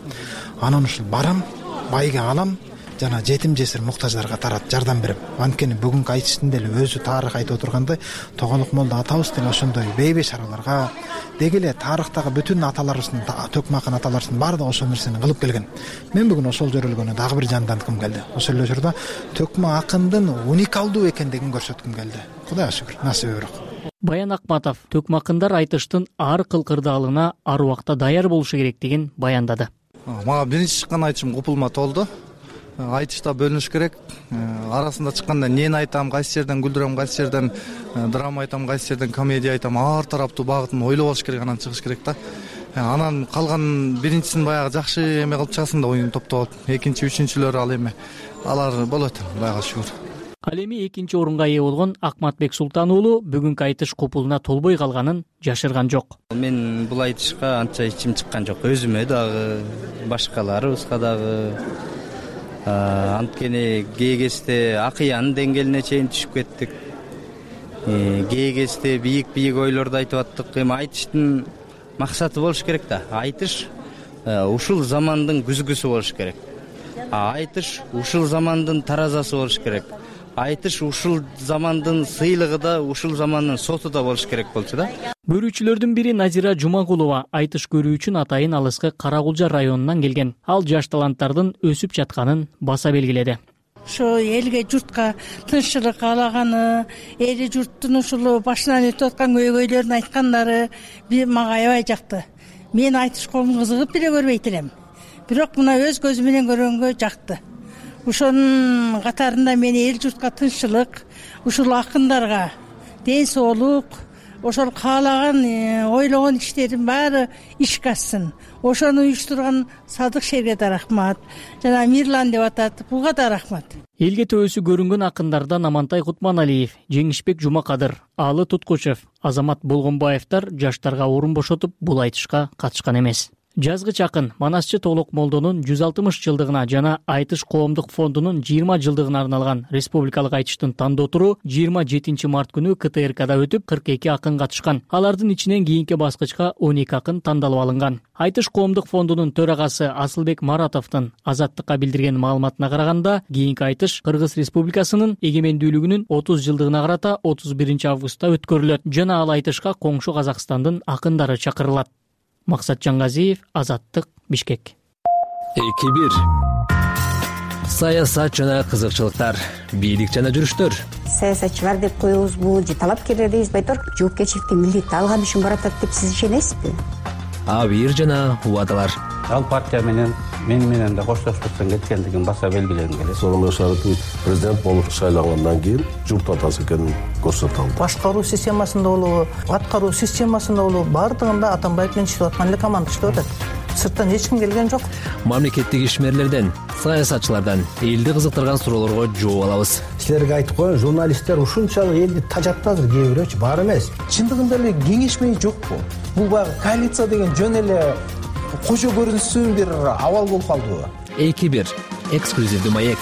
Speaker 18: Анан ушул барам, байге алам, жана жетим жесир муктаждарга тарат жардам берип. Анткени бүгүнкү айтыштын деле өзү тарых айтып отургандай, Тоголок молдо атабыз деле ошондой бейбей шараларга, деги эле тарыхтагы бүтүн аталарыбыздын, Төкмакын аталарыбыздын баардыгы ошол нерсени кылып келген. Мен бүгүн ошол жөрөлгөнү дагы бир жанданткым келди. Ошол эле учурда Төкмө акындын уникалдуу экендигин көрсөткүм келди. Кудайга шүгүр, насиби бирок.
Speaker 16: Баян Акматов Төкмө акындар айтыштын ар кылкырдаалына ар убакта даяр болушу керектигин баяндады.
Speaker 19: Мага биринчи чыккан айтышым купулма толду. Айтышта бөлүнүш керек. Арасында чыкканда эмнени айтам, кайсы жерден күлдүрөм, кайсы жерден драма айтам, кайсы жерден комедия айтам, ар тараптуу багытын ойлоп алыш керек, анан чыгыш керек да. Анан калган биринчисин баягы жакшы эме кылып чыгасың да, оюн топтоп, экинчи, үчүнчүлөр ал эме алар болот, Кудайга шүгүр.
Speaker 16: Ал эми экинчи орунга ээ болгон Акматбек Султан уулу бүгүнкү айтыш купулуна толбой калганын жашырган жок.
Speaker 20: Мен бул айтышка анча ичим чыккан жок. Өзүмө дагы, башкаларыбызга дагы. Анткени кээ кезде акыянын деңгээлине чейин түшүп кеттик. Кээ кезде бийик-бийик ойлорду айтып аттык. Эми айтыштын максаты болуш керек да. Айтыш ушул замандын күзгүсү болуш керек. Айтыш ушул замандын таразасы болуш керек. Айтыш ушул замандын сыйлыгы да, ушул замандын соту да болуш керек болчу да.
Speaker 16: Көрүүчүлөрдүн бири Назира Жумагулова айтыш көрүү үчүн атайын алыскы Карагулжа районунан келген. Ал жаш таланттардын өсүп жатканын баса белгиледи.
Speaker 21: Ошо элге, журтка тынччылык каалаганы, эли журттун ушул башынан өтүп аткан көйгөйлөрүн айткандары мага аябай жакты. Мен айтыш колун кызыгып деле көрбөйт элем. Бирок мына өз көзүм менен көргөнгө жакты. Ошонун катарында мен эл журтка тынччылык, ушул акындарга ден соолук, ошол каалаган, ойлогон иштерин баары ишке ашсын. Ошону уюштурган Садык Шерге да рахмат. Жана Мирлан деп атат, буга да рахмат.
Speaker 16: Элге төбөсү көрүнгөн акындардан Амантай Кутманалиев, Жеңишбек Жумакадыр, Алы Туткучев, Азамат Болгонбаевдер жаштарга орун бошотуп бул айтышка катышкан эмес. Жазгыч акын Манасчы Толок молдонун жүз алтымыш жылдыгына жана Айтыш коомдук фондунун жыйырма жылдыгына арналган республикалык айтыштын тандоо туру жыйырма жетинчи март күнү К Т Р Кда өтүп, кырк эки акын катышкан. Алардын ичинен кийинки баскычка он эки акын тандалып алынган. Айтыш коомдук фондунун төрагасы Асылбек Маратовдун Азаттыкка билдирген маалыматына караганда, кийинки айтыш Кыргыз Республикасынын эгемендүүлүгүнүн отуз жылдыгына карата отуз биринчи августта өткөрүлөт жана ал айтышка коңшу Казакстандын акындары чакырылат. Максат Жаңгазиев, Азаттык, Бишкек.
Speaker 22: эки бир Саясат жана кызыкчылыктар, бийлик жана жүрүштөр.
Speaker 23: Саясатчылар деп коебузбу, же талапкерлер дейбизби, айтор жоопкерчиликти милдетти алган үчүн баратат деп сиз ишенесизби?
Speaker 22: Абийир жана убадалар.
Speaker 24: Ал партия менен мен менен да коштошпостон кеткендигин баса белгилегим келет.
Speaker 25: Сооронбай Шарипович президент болуп шайлангандан кийин журт атасы экенин көрсөтө алды.
Speaker 26: Башкаруу системасында болобу, аткаруу системасында болобу, баардыгында Атамбаев менен иштеп аткан эле команда иштеп атат. Сырттан эч ким келген жок.
Speaker 22: Мамлекеттик ишмерлерден, саясатчылардан элди кызыктырган суроолорго жооп алабыз.
Speaker 27: Силерге айтып коеюн, журналисттер ушунчалык элди тажатты азыр, кээ бирөөчү, бар эмес. Чындыгында эле кеңешмей жокпу? Бул баягы коалиция деген жөн эле кожо көрүнсүн бир абал болуп калдыбы?
Speaker 22: эки бир эксклюзивдүү маек.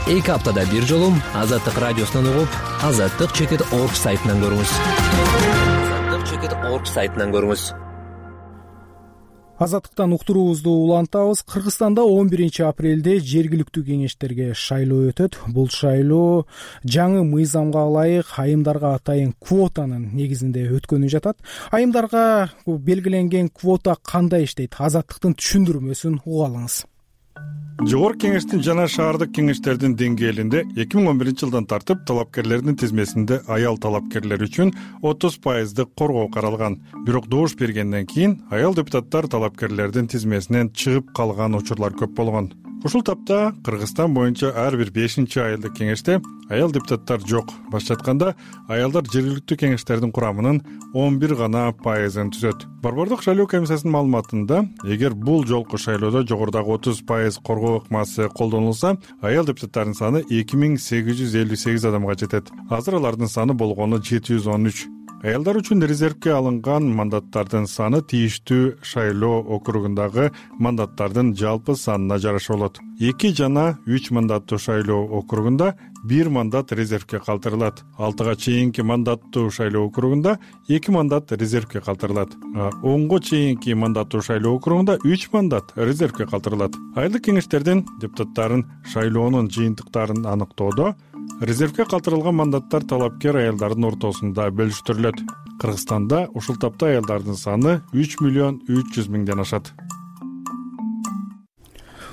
Speaker 22: эки аптада бир жолу Азаттык радиосунан угуп, азаттык чекит орг сайтынан көрүңүз. азаттык чекит орг сайтынан көрүңүз.
Speaker 1: Азаттыктан уктуруубузду улантабыз. Кыргызстанда он биринчи апрелде жергиликтүү кеңештерге шайлоо өтөт. Бул шайлоо жаңы мыйзамга ылайык айымдарга атайын квотанын негизинде өткөнү жатат. Айымдарга белгиленген квота кандай иштейт? Азаттыктын түшүндүрмөсүн угуп алыңыз.
Speaker 28: Жогорку кеңештин жана шаардык кеңештердин деңгээлинде эки миң он биринчи жылдан тартып талапкерлердин тизмесинде аял талапкерлер үчүн отуз пайыздык коргоо каралган. Бирок добуш бергенден кийин аял депутаттар талапкерлердин тизмесинен чыгып калган учурлар көп болгон. Ушул тапта Кыргызстан боюнча ар бир бешинчи айылдык кеңеште аял депутаттар жок. Башка айтканда, аялдар жергиликтүү кеңештердин курамынын он бир гана пайызын түзөт. Борбордук шайлоо комиссиясынын маалыматында, эгер бул жолку шайлоодо жогорудагы отуз пайыз коргоо ыкмасы колдонулса, аял депутаттардын саны эки миң сегиз жүз элүү сегиз адамга жетет. Азыр алардын саны болгону жети жүз он үч. Аялдар үчүн резервге алынган мандаттардын саны тийиштүү шайлоо округундагы мандаттардын жалпы санына жараша болот. эки жана үч мандаттуу шайлоо округунда бир мандат резервге калтырылат. алтыга чейинки мандаттуу шайлоо округунда эки мандат резервге калтырылат. онго чейинки мандаттуу шайлоо округунда үч мандат резервге калтырылат. Айылдык кеңештердин депутаттарын шайлоонун жыйынтыктарын аныктоодо резервге калтырылган мандаттар талапкер аялдардын ортосунда бөлүштүрүлөт. Кыргызстанда ушул тапта аялдардын саны үч миллион үч жүз миңден ашат.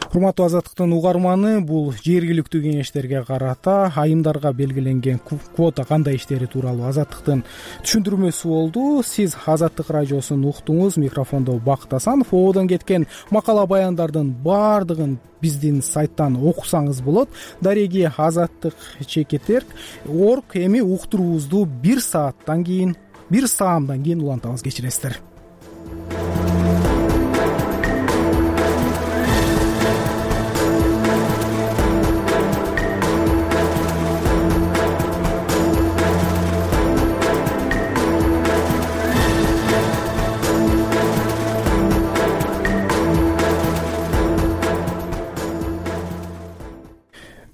Speaker 1: Урматтуу Азаттыктын угарманы, бул жергиликтүү кеңештерге карата айымдарга белгиленген квота кандай иштери тууралуу Азаттыктын түшүндүрмөсү болду. Сиз Азаттык радиосун уктуңуз. Микрофондо Бакыт Асанов. Ободон кеткен макала баяндардын баардыгын биздин сайттан окусаңыз болот. Дареги азаттык чекит орг эми уктуруубузду бир сааттан кийин, бир саамдан кийин улантабыз. Кечиресиздер.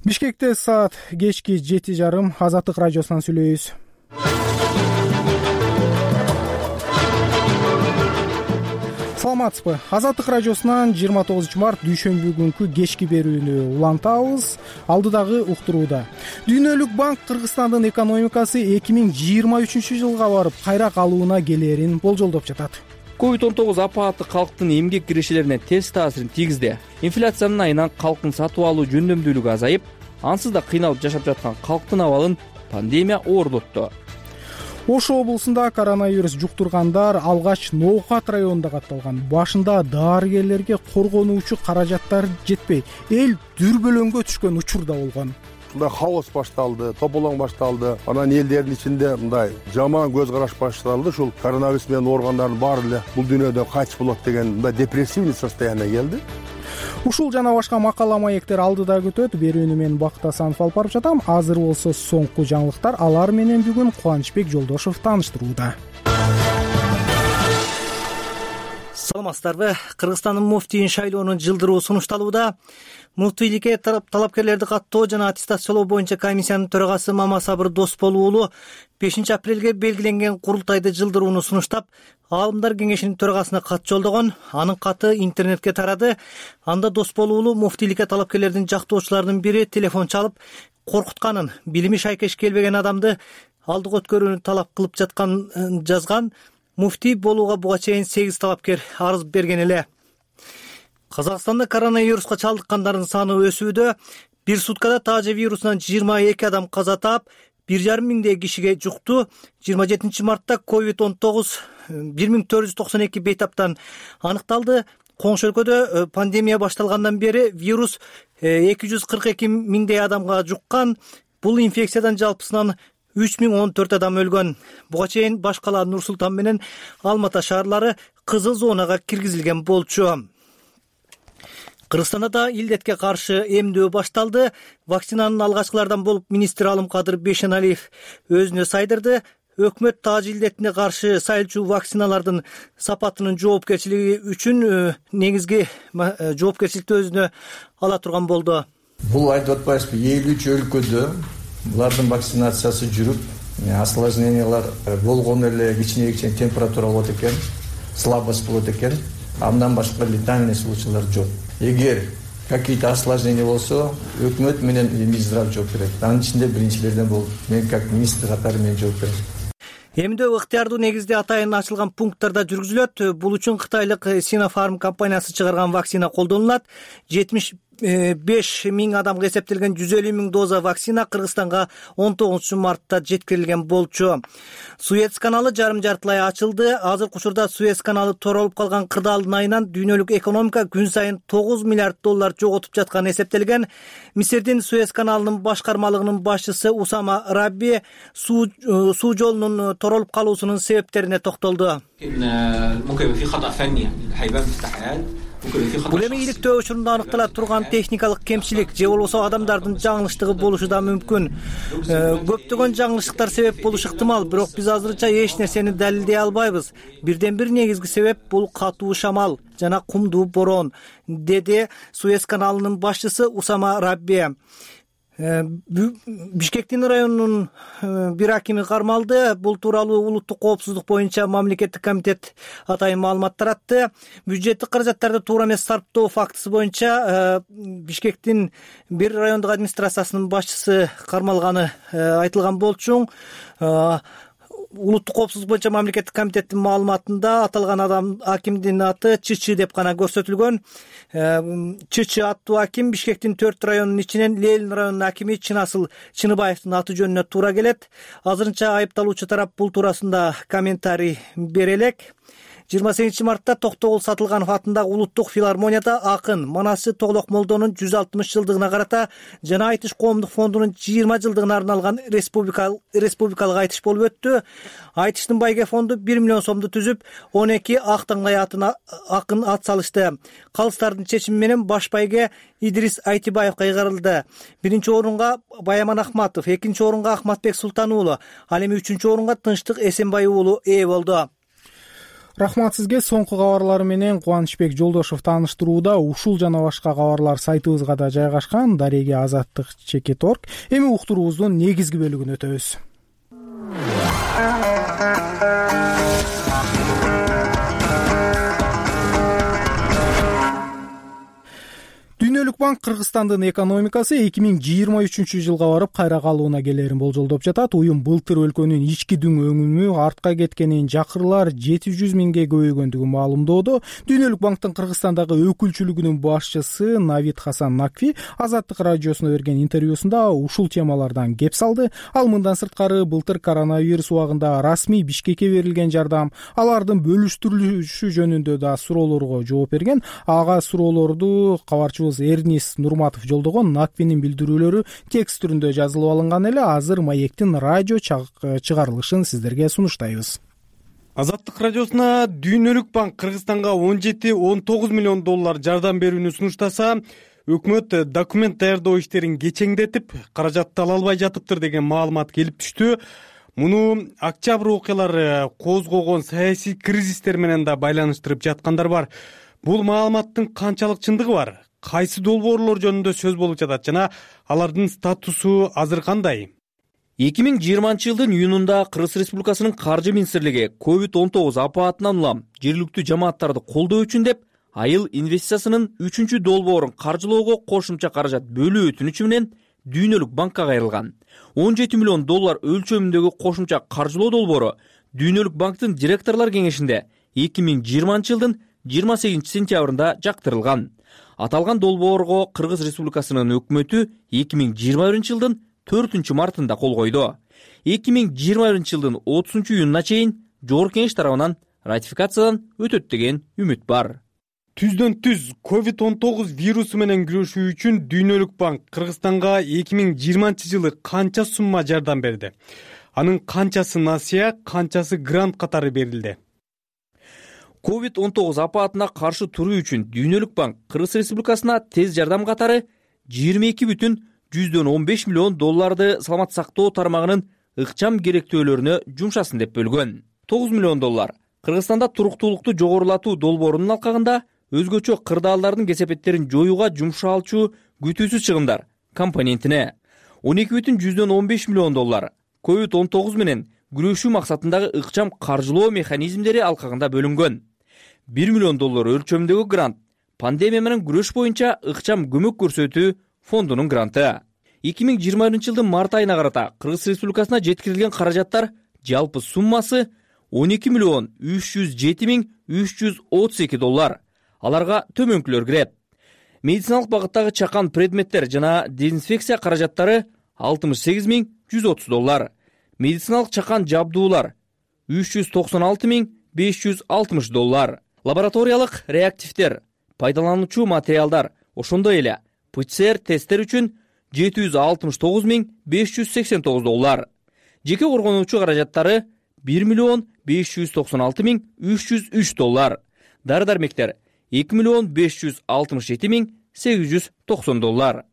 Speaker 1: Бишкекте саат кечки жети жарым. Азаттык радиосунан сүйлөйбүз. Саламатсызбы? Азаттык радиосунан жыйырма тогузунчу март дүйшөмбү күнкү кечки берүүнү улантабыз. Алдыдагы уктурууда Дүйнөлүк банк Кыргызстандын экономикасы эки миң жыйырма үчүнчү жылга барып кайра калуuna келерин болжолдоп жатат.
Speaker 2: ковид он тогуз апааты калктын эмгек кирешелерине терс таасирин тийгизди. Инфляциянын айынан калктын сатып алуу жөндөмдүүлүгү азайып, ансыз да кыйналып жашап жаткан калктын абалын пандемия оорлотту.
Speaker 1: Ош облусунда коронавирус жуктургандар алгач Ноокат районунда катталган. Башында дарыгерлерге коргонуучу каражаттар жетпей, эл дүрбөлөңгө түшкөн учур да болгон.
Speaker 25: Мындай хаос башталды, тополоң башталды. Анан элдердин ичинде мындай жаман көз караш башталды. Ушул коронавирус менен ооругандардын баары эле бул дүйнөдөн кайтыш болот деген мындай депрессивный состояние келди.
Speaker 1: Ушул жана башка макала маектер алдыда күтөт. Берүүнү мен Бакыт Асанов алып барып жатам. Азыр болсо соңку жаңылыктар. Алар менен бүгүн Кубанычбек Жолдошов тааныштырууда.
Speaker 3: Саламатсыздарбы? Кыргызстандын муфтийин шайлоонун жылдыруу сунушталууда. Муфтийликке талапкерлерди каттоо жана аттестациялоо боюнча комиссиянын төрагасы Мамасабыр Досбол уулу бешинчи апрелге белгиленген курултайды жылдырууну сунуштап, аалымдар кеңешинин төрагасына кат жолдогон. Анын каты интернетке тарады. Анда Досбол уулу муфтийликке талапкерлердин жактоочуларынын бири телефон чалып, коркутканын, билими шайкеш келбеген адамды алдыга өткөрүүнү талап кылып жатканын жазган. Муфтий болууга буга чейин сегиз талапкер арыз берген эле. Казакстанда коронавируска чалдыккандардын саны өсүүдө. Бир суткада таажа вирусунан жыйырма эки адам каза таап, бир жарым миңдей кишиге жукту. жыйырма жетинчи мартта ковид он тогуз бир миң төрт жүз токсон эки бейтаптан аныкталды. Коңшу өлкөдө пандемия башталгандан бери вирус эки жүз кырк эки миңдей адамга жуккан. Бул инфекциядан жалпысынан үч миң он төрт адам өлгөн. Буга чейин баш кала Нур Султан менен Алматы шаарлары кызыл зонага киргизилген болчу. Кыргызстанда да илдетке каршы эмдөө башталды. Вакцинанын алгачкылардан болуп министр Алымкадыр Бейшеналиев өзүнө сайдырды. Өкмөт тааж илдетине каршы сайылчу вакциналардын сапатынын жоопкерчилиги үчүн негизги жоопкерчиликти өзүнө ала турган болду.
Speaker 4: Бул айтып атпайсызбы, элүү үч өлкөдө булардын вакцинациясы жүрүп, осложнениялар болгон эле, кичине кичине температура болот экен, слабость болот экен. Андан башка летальный случайлар жок. Эгер какие-то осложнения болсо, өкмөт менен Минздрав жооп берет. Анын ичинде биринчилерден болуп, мен как министр катары мен жооп берем.
Speaker 3: Эмдөө ыктыярдуу негизде атайын ачылган пункттарда жүргүзүлөт. Бул үчүн Кытайлык Sinopharm компаниясы чыгарган вакцина колдонулат. жетимиш беш миң адамга эсептелген жүз элүү миң доза вакцина Кыргызстанга он тогузунчу мартта жеткирилген болчу. Суэц каналы жарым жартылай ачылды. Азыркы учурда Суэц каналы торолуп калган кырдаалдын айынан дүйнөлүк экономика күн сайын тогуз миллиард доллар жоготуп жатканы эсептелген. Мисирдин Суэц каналынын башкармалыгынын башчысы Усама Рабби суу суу жолунун торолуп калуусунун себептерине токтолду. бул эми иликтөө учурунда аныктала турган техникалык кемчилик же болбосо адамдардын жаңылыштыгы болушу да мүмкүн. Көптөгөн жаңылыштыктар себеп болушу ыктымал, бирок биз азырынча эч нерсени далилдей албайбыз. Бирден бир негизги себеп бул катуу шамал жана кумдуу борон, деди Суэц каналынын башчысы Усама Рабби. Бишкектин районунун бир акими кармалды. Бул тууралуу улуттук коопсуздук боюнча мамлекеттик комитет атайын маалымат таратты. Бюджеттик каражаттарды туура эмес сарптоо фактысы боюнча Бишкектин бир райондук администрациясынын башчысы кармалганы айтылган болчу. Улуттук коопсуздук боюнча мамлекеттик комитеттин маалыматында аталган адам акимдин аты Чычы деп гана көрсөтүлгөн. Чычы аттуу аким Бишкектин төрт районунун ичинен Ленин районунун акими Чынасыл Чыныбаевдин аты жөнүнө туура келет. Азырынча айыпталуучу тарап бул туурасында комментарий бере элек. жыйырма сегизинчи мартта Токтогул Сатылганов атындагы улуттук филармонияда акын манасчы Тоглок Молдонун жүз алтымыш жылдыгына карата жана Айтыш коомдук фондунун жыйырма жылдыгына арналган республикалык республикалык айтыш болуп өттү. Айтыштын байге фонду бир миллион сомду түзүп, он эки ак таңдай атына акын ат салышты. Калыстардын чечими менен баш байге Идрис Айтибаевга ыйгарылды. Биринчи орунга Баяман Ахматов, экинчи орунга Ахматбек Султан уулу, ал эми үчүнчү орунга Тынчтык Эсенбай уулу ээ болду.
Speaker 1: Рахмат сизге. Соңку кабарлар менен Кубанычбек Жолдошов тааныштырууда. Ушул жана башка кабарлар сайтыбызга да жайгашкан. Дареги азаттык чекит точка орг. Эми уктуруубуздун негизги бөлүгүнө өтөбүз. Дүйнөлүк банк Кыргызстандын экономикасы эки миң жыйырма үчүнчү жылга барып кайра калууна келерин болжолдоп жатат. Уюм былтыр өлкөнүн ички дүң өнүмү артка кеткенин, жакырлар жети жүз миңге көбөйгөндүгүн маалымдоодо. Дүйнөлүк банктын Кыргызстандагы өкүлчүлүгүнүн башчысы Навид Хасан Накви Азаттык радиосуна берген интервьюсунда ушул темалардан кеп салды. Ал мындан сырткары былтыр коронавирус убагында расмий Бишкекке берилген жардам, алардын бөлүштүрүлүшү жөнүндө да суроолорго жооп берген. Ага суроолорду кабарчыбыз Эрнис Нурматов жолдогон. Наквинин билдирүүлөрү текст түрүндө жазылып алынган эле. Азыр Маектин радио чыгарылышын сиздерге сунуштайбыз.
Speaker 28: Азаттык радиосуна Дүйнөлүк банк Кыргызстанга он жети он тогуз миллион доллар жардам берүүнү сунуштаса, өкмөт документ даярдоо иштерин кечеңдетип, каражатты ала албай жатыптыр деген маалымат келип түштү. Муну октябрь окуялары козгогон саясий кризистер менен да байланыштырып жаткандар бар. Бул маалыматтын канчалык чындыгы бар? Кайсы долбоорлор жөнүндө сөз болуп жатат жана алардын статусу азыр кандай?
Speaker 2: эки миң жыйырманчы жылдын июнунда Кыргыз Республикасынын каржы министрлиги ковид он тогуз апаатынан улам жергиликтүү жамааттарды колдоо үчүн деп айыл инвестициясынын үчүнчү долбоорун каржылоого кошумча каражат бөлүү өтүнүчү менен Дүйнөлүк банкка кайрылган. он жети миллион доллар өлчөмүндөгү кошумча каржылоо долбоору Дүйнөлүк банктын директорлор кеңешинде эки миң жыйырманчы жылдын жыйырма сегизинчи сентябрында жактырылган. Аталган долбоорго Кыргыз Республикасынын өкмөтү эки миң жыйырма биринчи жылдын төртүнчү мартында кол койду. эки миң жыйырма биринчи жылдын отузунчу июнуна чейин жогорку кеңеш тарабынан ратификациядан өтөт деген үмүт бар.
Speaker 28: Түздөн түз ковид он тогуз вирусу менен күрөшүү үчүн Дүйнөлүк банк Кыргызстанга эки миң жыйырманчы жылы канча сумма жардам берди? Анын канчасы насыя, канчасы грант катары берилди?
Speaker 2: ковид он тогуз апаатына каршы туруу үчүн Дүйнөлүк банк Кыргыз Республикасына тез жардам катары жыйырма эки бүтүн жүздөн он беш миллион долларды саламат сактоо тармагынын ыкчам керектөөлөрүнө жумшасын деп бөлгөн. тогуз миллион доллар Кыргызстанда туруктуулукту жогорулатуу долбоорунун алкагында өзгөчө кырдаалдардын кесепеттерин жоюуга жумшалчу күтүүсүз чыгымдар компонентине он эки бүтүн жүздөн он беш миллион доллар ковид он тогуз менен күрөшүү максатындагы ыкчам каржылоо механизмдери алкагында бөлүнгөн. бир миллион доллар өлчөмүндөгү грант пандемия менен күрөш боюнча ыкчам көмөк көрсөтүү фондунун гранты. эки миң жыйырма биринчи жылдын март айына карата Кыргыз Республикасына жеткирилген каражаттар жалпы суммасы он эки миллион үч жүз жети миң үч жүз отуз эки доллар. Аларга төмөнкүлөр кирет. Медициналык багыттагы чакан предметтер жана дезинфекция каражаттары алтымыш сегиз миң жүз отуз доллар. Медициналык чакан жабдуулар үч жүз токсон алты миң беш жүз алтымыш доллар. Лабораториялык реактивдер, пайдалануучу материалдар, ошондой эле ПЦР тесттер үчүн жети жүз алтымыш тогуз миң беш жүз сексен тогуз доллар. Жеке коргонуучу каражаттары бир миллион беш жүз токсон алты миң үч жүз үч доллар. Дары-дармектер эки миллион беш жүз алтымыш жети миң сегиз жүз токсон доллар.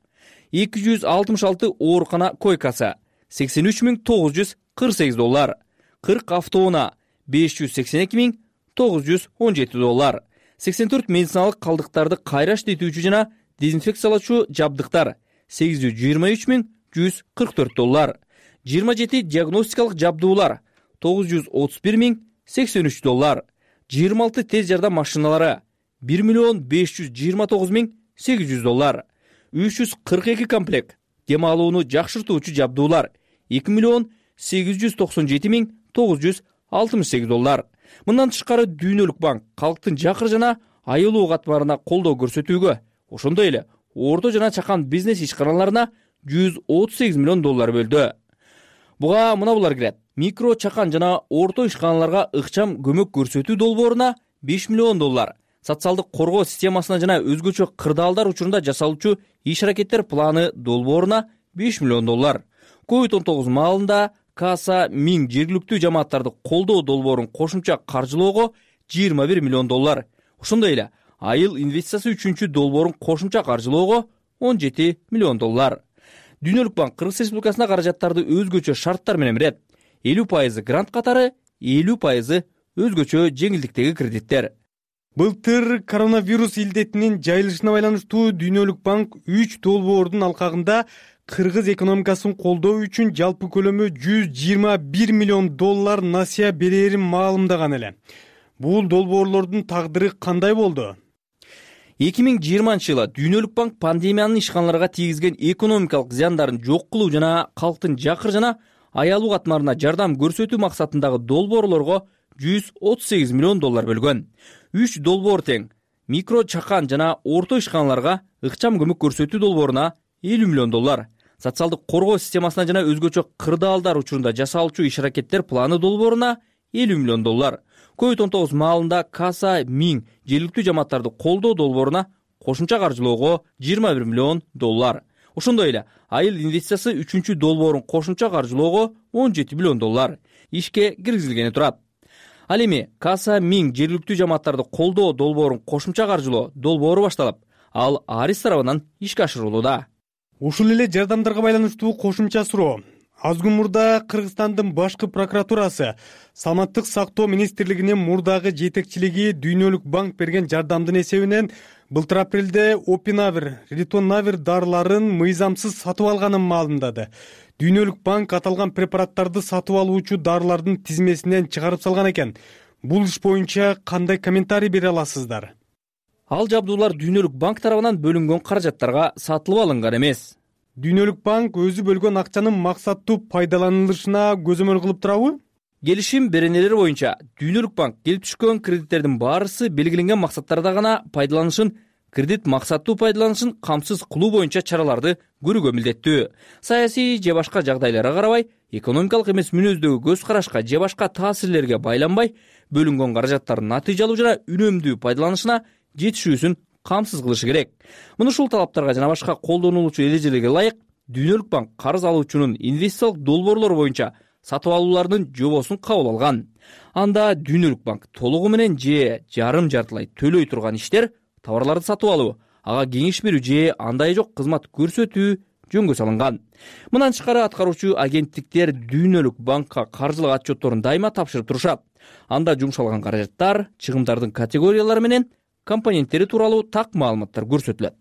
Speaker 2: эки жүз алтымыш алты оорукана койкасы сексен үч миң тогуз жүз кырк сегиз доллар. кырк автоунаа беш жүз сексен эки миң тогуз жүз он жети доллар. сексен төрт медициналык калдыктарды кайра иштетүүчү жана дезинфекциялоочу жабдыктар сегиз жүз жыйырма үч миң жүз кырк төрт доллар. жыйырма жети диагностикалык жабдуулар тогуз жүз отуз бир миң сексен үч доллар. жыйырма алты тез жардам машиналары бир миллион беш жүз жыйырма тогуз миң сегиз жүз доллар. үч жүз кырк эки комплект дем алууну жакшыртуучу жабдуулар эки миллион сегиз жүз токсон жети миң тогуз жүз алтымыш сегиз доллар. Мындан тышкары Дүйнөлүк банк калктын жакыр жана айылуу катмарына колдоо көрсөтүүгө, ошондой эле орто жана чакан бизнес ишканаларына жүз отуз сегиз миллион доллар бөлдү. Буга мына булар кирет. Микро, чакан жана орто ишканаларга ыкчам көмөк көрсөтүү долбооруна беш миллион доллар. Социалдык коргоо системасына жана өзгөчө кырдаалдар учурунда жасалуучу иш-аракеттер планы долбооруна беш миллион доллар. ковид он тогуз маалында Каса миң жергиликтүү жамааттарды колдоо долбоорун кошумча каржылоого жыйырма бир миллион доллар. Ошондой эле айыл инвестициясы үчүнчү долбоорун кошумча каржылоого он жети миллион доллар. Дүйнөлүк банк Кыргыз Республикасына каражаттарды өзгөчө шарттар менен берет. элүү пайызы грант катары, элүү пайызы өзгөчө жеңилдиктеги кредиттер.
Speaker 5: Былтыр коронавирус илдетинин жайылышына байланыштуу Дүйнөлүк банк үч долбоордун алкагында кыргыз экономикасын колдоо үчүн жалпы көлөмү жүз жыйырма бир миллион доллар насыя берерин маалымдаган эле. Бул долбоорлордун тагдыры кандай болду?
Speaker 2: эки миң жыйырманчы жылы Дүйнөлүк банк пандемиянын ишканаларга тийгизген экономикалык зыяндарын жок кылуу жана калктын жакыр жана аялуу катмарына жардам көрсөтүү максатындагы долбоорлорго жүз отуз сегиз миллион доллар бөлгөн. үч долбоор тең микро, чакан жана орто ишканаларга ыкчам көмөк көрсөтүү долбооруна элүү миллион доллар. Социалдык коргоо системасына жана өзгөчө кырдаалдар учурунда жасалуучу иш-аракеттер планы долбооруна элүү миллион доллар. ковид он тогуз маалында Каса миң жергиликтүү жамааттарды колдоо долбооруна кошумча каржылоого жыйырма бир миллион доллар. Ошондой эле айыл инвестициясы үчүнчү долбоорун кошумча каржылоого он жети миллион доллар ишке киргизилгени турат. Ал эми Каса миң жергиликтүү жамааттарды колдоо долбоорун кошумча каржылоо долбоору башталып, ал Арис тарабынан ишке ашырылууда.
Speaker 5: Ушул эле жардамдарга байланыштуу кошумча суроо. Аз күн мурда Кыргызстандын башкы прокуратурасы Саламаттык сактоо министрлигинин мурдагы жетекчилиги Дүйнөлүк банк берген жардамдын эсебинен былтыр апрелде Опинавир, Ритонавир дарыларын мыйзамсыз сатып алганын маалымдады. Дүйнөлүк банк аталган препараттарды сатып алуучу дарылардын тизмесинен чыгарып салган экен. Бул иш боюнча кандай комментарий бере аласыздар?
Speaker 2: Ал жабдуулар Дүйнөлүк банк тарабынан бөлүнгөн каражаттарга сатылып алынган эмес.
Speaker 5: Дүйнөлүк банк өзү бөлгөн акчанын максаттуу пайдаланылышына көзөмөл кылып турабы?
Speaker 2: Келишим беренелери боюнча Дүйнөлүк банк келип түшкөн кредиттердин баарысы белгиленген максаттарда гана пайдаланышын, кредит максаттуу пайдаланышын камсыз кылуу боюнча чараларды көрүүгө милдеттүү. Саясий же башка жагдайларга карабай, экономикалык эмес мүнөздөгү көз карашка же башка таасирлерге байланбай, бөлүнгөн каражаттардын натыйжалуу жана үнөмдүү пайдаланышына жетишүүсүн камсыз кылышы керек. Мына ушул талаптарга жана башка колдонулуучу эрежелерге ылайык Дүйнөлүк банк карыз алуучунун инвестициялык долбоорлору боюнча сатып алуулардын жобосун кабыл алган. Анда Дүйнөлүк банк толугу менен же жарым жартылай төлөй турган иштер товарларды сатып алуу, ага кеңеш берүү же андай жок кызмат көрсөтүү жөнгө салынган. Мындан тышкары аткаруучу агенттиктер Дүйнөлүк банкка каржылык отчетторун дайыма тапшырып турушат. Анда жумшалган каражаттар, чыгымдардын категориялары менен компоненттери тууралуу так маалыматтар көрсөтүлөт.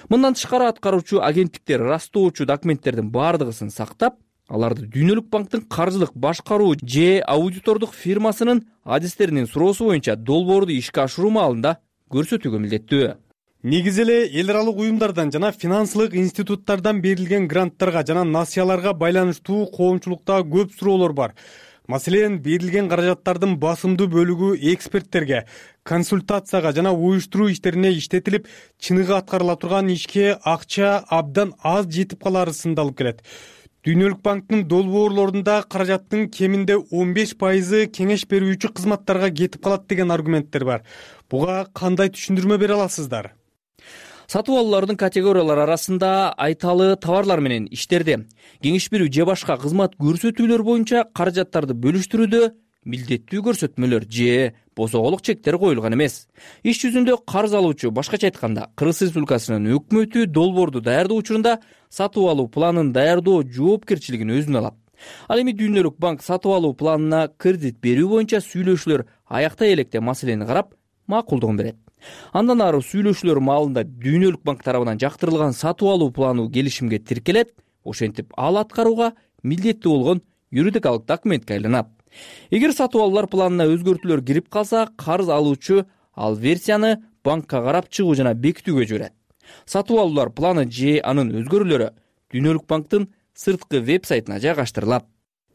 Speaker 2: Мындан тышкары аткаруучу агенттиктер ырастоочу документтердин бардыгысын сактап, аларды Дүйнөлүк банктын каржылык башкаруу же аудитордук фирмасынын адистеринин суроосу боюнча долбоорду ишке ашыруу маалында көрсөтүүгө милдеттүү.
Speaker 5: Негизи эле эл аралык уюмдардан жана финансылык институттардан берилген гранттарга жана насыяларга байланыштуу коомчулукта көп суроолор бар. Маселен, берилген каражаттардын басымдуу бөлүгү эксперттерге, консультацияга жана уюштуруу иштерине иштетилип, чыныгы аткарыла турган ишке акча абдан аз жетип калары сындалып келет. Дүйнөлүк банктын долбоорлорунда каражаттын кеминде он беш пайызы кеңеш берүүчү кызматтарга кетип калат деген аргументтер бар. Буга кандай түшүндүрмө бере аласыздар?
Speaker 2: Сатып алуулардын категориялары арасында айталы товарлар менен иштерди, кеңеш берүү же башка кызмат көрсөтүүлөр боюнча каражаттарды бөлүштүрүүдө милдеттүү көрсөтмөлөр же босоголук чектер коюлган эмес. Иш жүзүндө карыз алуучу, башкача айтканда, Кыргыз Республикасынын өкмөтү долбоорду даярдоо учурунда сатып алуу планын даярдоо жоопкерчилигин өзүнө алат. Ал эми Дүйнөлүк банк сатып алуу планына кредит берүү боюнча сүйлөшүүлөр аяктай электе маселени карап, макулдугун берет. Андан ары сүйлөшүүлөр маалында Дүйнөлүк банк тарабынан жактырылган сатып алуу планы келишимге тиркелет, ошентип ал аткарууга милдеттүү болгон юридикалык документке айланат. Эгер сатып алуулар планына өзгөртүүлөр кирип калса, карыз алуучу ал версияны банкка карап чыгуу жана бекитүүгө жиберет. Сатып алуулар планы же анын өзгөрүүлөрү Дүйнөлүк банктын сырткы веб-сайтына жайгаштырылат.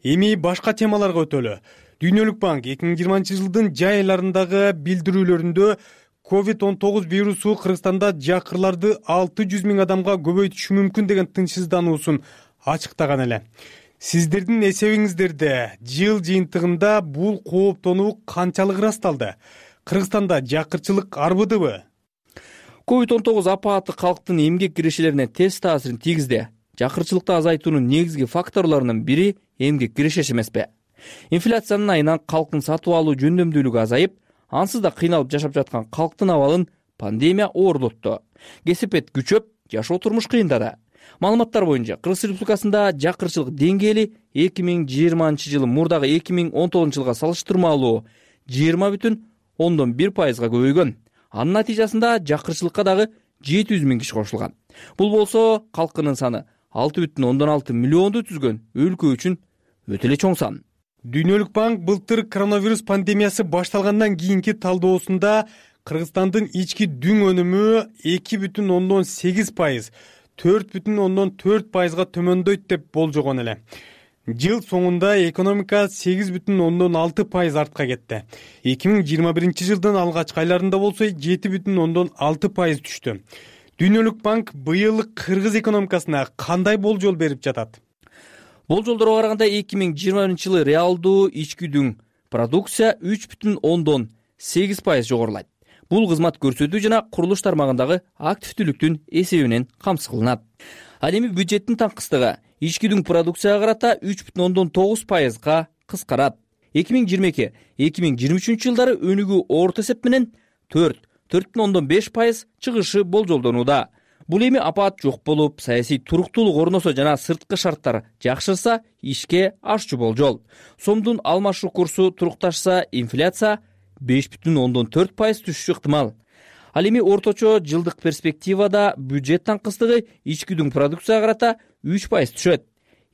Speaker 5: Эми башка темаларга өтөлү. Дүйнөлүк банк эки миң жыйырманчы жылдын жай айларындагы билдирүүлөрүндө ковид он тогуз вирусу Кыргызстанда жакырларды алты жүз миң адамга көбөйтүшү мүмкүн деген тынчсыздануусун ачыктаган эле. Сиздердин эсебиңиздерде жыл жыйынтыгында бул кооптонуу канчалык ырасталды? Кыргызстанда жакырчылык арбыдыбы?
Speaker 2: ковид он тогуз апааты калктын эмгек кирешелерине терс таасирин тийгизди. Жакырчылыкты азайтуунун негизги факторлорунун бири эмгек кирешеси эмеспи? Инфляциянын айынан калктын сатып алуу жөндөмдүүлүгү азайып, ансыз да кыйналып жашап жаткан калктын абалын пандемия оорлотту. Кесипет күчөп, жашоо турмуш кыйындады. Маалыматтар боюнча Кыргыз Республикасында жакырчылык деңгээли эки миң жыйырманчы жылы мурдагы эки миң он тогузунчу жылга салыштырмалуу жыйырма бүтүн ондон бир пайызга көбөйгөн. Анын натыйжасында жакырчылыкка дагы жети жүз миң киши кошулган. Бул болсо калкынын саны алты бүтүн ондон алты миллионду түзгөн өлкө үчүн өтө эле чоң сан.
Speaker 5: Дүйнөлүк банк былтыр коронавирус пандемиясы башталгандан кийинки талдоосунда Кыргызстандын ички дүң өнүмү эки бүтүн ондон сегиз пайыз, төрт бүтүн ондон төрт пайызга төмөндөйт деп болжогон эле. Жыл соңунда экономика сегиз бүтүн ондон алты пайыз артка кетти. эки миң жыйырма биринчи жылдын алгачкы айларында болсо жети бүтүн ондон алты пайыз түштү. Дүйнөлүк банк быйыл Кыргыз экономикасына кандай болжол берип жатат?
Speaker 2: Болжолдорго караганда эки миң жыйырма биринчи жылы реалдуу ички дүң продукция үч бүтүн ондон сегиз пайыз жогорулайт. Бул кызмат көрсөтүү жана курулуш тармагындагы активдүүлүктүн эсебинен камсыз кылынат. Ал эми бюджеттин таңкыстыгы ички дүң продукцияга карата үч бүтүн ондон тогуз пайызга кыскарат. эки миң жыйырма эки эки миң жыйырма үчүнчү жылдары өнүгүү орто эсеп менен төрт төрт бүтүн ондон беш пайыз чыгышы болжолдонууда. Бул эми апаат жок болуп, саясий туруктуулук орносо жана сырткы шарттар жакшырса, ишке ашчу болжол. Сомдун алмашуу курсу турукташса, инфляция беш бүтүн ондон төрт пайыз түшүшү ыктымал. Ал эми орточо жылдык перспективада бюджет таңкыстыгы ички дүң продукцияга карата үч пайыз түшөт.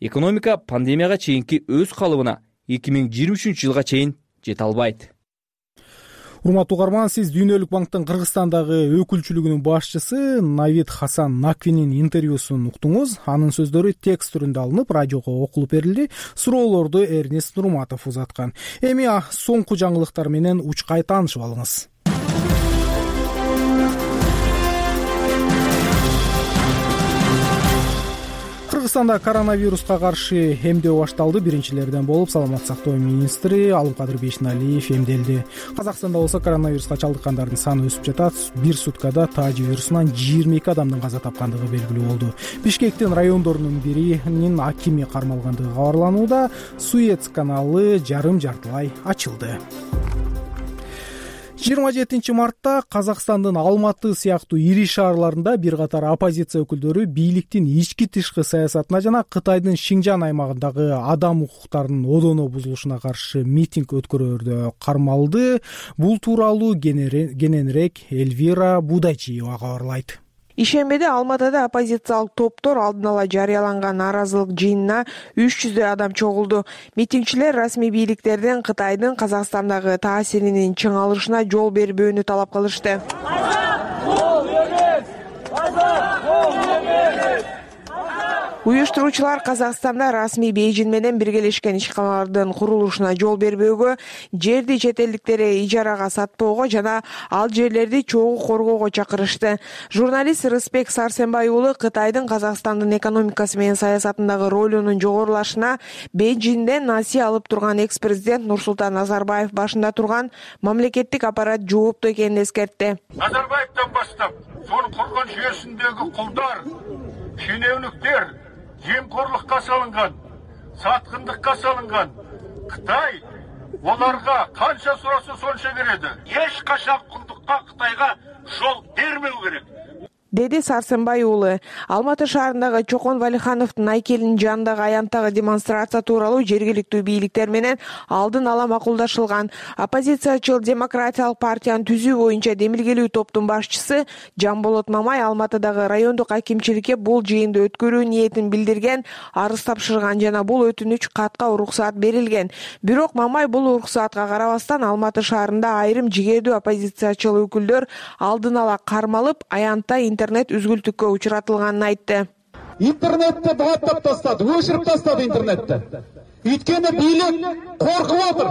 Speaker 2: Экономика пандемияга чейинки өз калыбына эки миң жыйырма үчүнчү жылга чейин жете албайт.
Speaker 1: Урматтуу угарман, сиз Дүйнөлүк банктын Кыргызстандагы өкүлчүлүгүнүн башчысы Навид Хасан Наквинин интервьюсун уктуңуз. Анын сөздөрү текст түрүндө алынып, радиого окулуп берилди. Суроолорду Эрнест Нурматов узаткан. Эми соңку жаңылыктар менен учкай таанышып алыңыз. Кыргызстанда коронавируска каршы эмдөө башталды. Биринчилерден болуп саламаттык сактоо министри Алымкадыр Бейшеналиев эмделди. Казакстанда болсо коронавируска чалдыккандардын саны өсүп жатат. Бир суткада таажи вирусунан жыйырма эки адамдын каза тапкандыгы белгилүү болду. Бишкектин райондорунун биринин акими кармалгандыгы кабарланууда. Суэц каналы жарым жартылай ачылды. жыйырма жетинчи мартта Казакстандын Алматы сыяктуу ири шаарларында бир катар оппозиция өкүлдөрү бийликтин ички тышкы саясатына жана Кытайдын Шинжан аймагындагы адам укуктарынын одоно бузулушуна каршы митинг өткөрүүдө кармалды. Бул тууралуу кененирээк Эльвира Будайчиева кабарлайт.
Speaker 6: Ишембиде Алматыда оппозициялык топтор алдын ала жарыяланган нааразылык жыйынына үч жүздөй адам чогулду. Митингчилер расмий бийликтерден Кытайдын Казакстандагы таасиринин чыңалышына жол бербөөнү талап кылышты. Уюштуруучулар Казакстанда расмий Бейжин менен биргелешкен ишканалардын курулушуна жол бербөөгө, жерди чет элдиктерге ижарага сатпоого жана ал жерлерди чогуу коргоого чакырышты. Журналист Рыспек Сарсенбай уулу Кытайдын Казакстандын экономикасы менен саясатындагы ролунун жогорулашына Бейжинден насыя алып турган экс-президент Нурсултан Назарбаев башында турган мамлекеттик аппарат жооптуу экенин эскертти.
Speaker 7: Назарбаевден баштап, сонун курган жүйөсүндөгү кулдар, шенеунүктөр, жемкорлукка салынган, саткындыкка салынган Кытай Оларга канча сураса сонча береді. Эч качан кулдукка Кытайга жол бермеу керек,
Speaker 6: деди Сарсенбай уулу. Алматы шаарындагы Чокон Валихановдун айкелинин жанындагы аянттагы демонстрация тууралуу жергиликтүү бийликтер менен алдын ала макулдашылган. Оппозициячыл Демократиялык партиянын түзүү боюнча демилгелүү топтун башчысы Жамболот Мамай Алматыдагы райондук акимчиликке бул жыйынды өткөрүү ниетин билдирген, арыз тапшырган жана бул өтүнүч катка уруксаат берилген. Бирок Мамай бул уруксаатка карабастан Алматы шаарында айрым жигердүү оппозициячыл өкүлдөр алдын ала кармалып, аянтта интернет үзгүлтүккө учуратылганын айтты.
Speaker 8: Интернетти бугаттап тастады, өчүрүп тастады интернетти. Үйткөнү бийлик коркуп отур.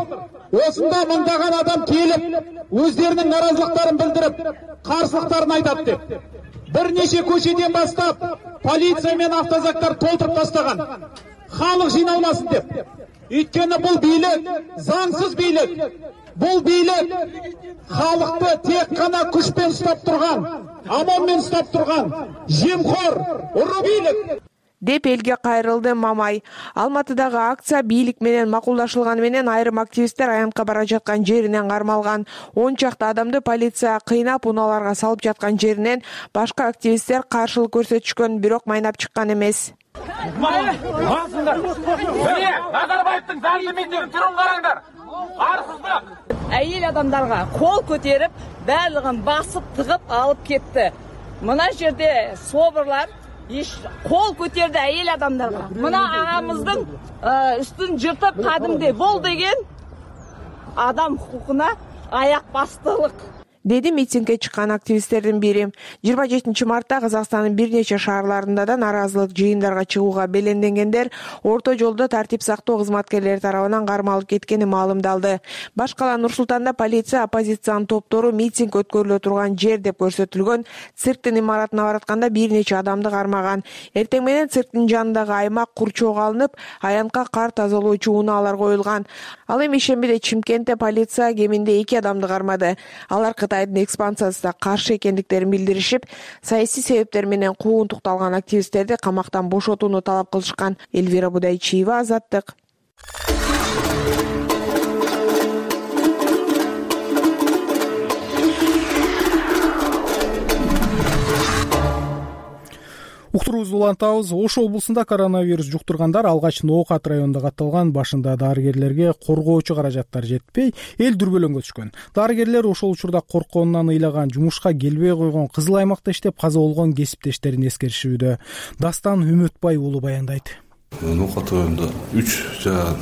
Speaker 8: Осунда мыңдаган адам келип, өздеринин наразылыктарын билдирип, каршылыктарын айтат деп. Бир нече көчөдөн баштап полиция менен автозактар толтуруп тастаган. Халык жыйналмасын деп. Үйткөнү бул бийлик заңсыз бийлик. Бул бийлик халыкты тек гана күчпен уштап турган, амон менен уштап турган жемхор, уру бийлик
Speaker 6: деп элге кайрылды Мамай. Алматыдагы акция бийлик менен макулдашылганы менен айрым активисттер аянтка бара жаткан жеринен кармалган. он чакты адамды полиция кыйнап, унааларга салып жаткан жеринен башка активисттер каршылык көрсөтүшкөн, бирок майнап чыккан эмес.
Speaker 8: Басыңдар. Міне, Назарбаевдин заңды митингин түрүн караңдар. Арсыздык.
Speaker 9: Әйел адамдарга кол көтерип, барлыгын басып, тыгып алып кетти. Мына жерде собурлар иш кол көтерди әйел адамдарга. Мына агамыздын үстүн жыртып кадимди бол деген адам хукукуна аяк бастылык,
Speaker 6: деди митингге чыккан активисттердин бири. жыйырма жетинчи мартта Казакстандын бир нече шаарларында да наразылык жыйындарга чыгууга беленденгендер орто жолдо тартип сактоо кызматкерлери тарабынан кармалып кеткени маалымдалды. Башкала Нур Султанда полиция оппозициянын топтору митинг өткөрүлө турган жер деп көрсөтүлгөн цирктин имаратына баратканда бир нече адамды кармаган. Эртең менен цирктин жанындагы аймак курчоого алынып, аянтка кар тазалоочу унаалар коюлган. Ал эми шембиде Чимкентте полиция кеминде эки адамды кармады. Алар Кытайдын экспансиясына каршы экендиктерин билдиришип, саясий себептер менен куугунтукталган активисттерди камактан бошотууну талап кылышкан. Элвира Будайчиева, Азаттык.
Speaker 1: Уктуруубузду улантабыз. Ош облусунда коронавирус жуктургандар алгач Ноокат районунда катталган. Башында дарыгерлерге коргоочу каражаттар жетпей, эл дүрбөлөңгө түшкөн. Дарыгерлер ошол учурда коркконунан ыйлаган, жумушка келбей койгон, кызыл аймакта иштеп каза болгон кесиптештерин эскеришүүдө. Дастан Үмөтбай уулу баяндайт.
Speaker 10: Ноокат районунда үч жаан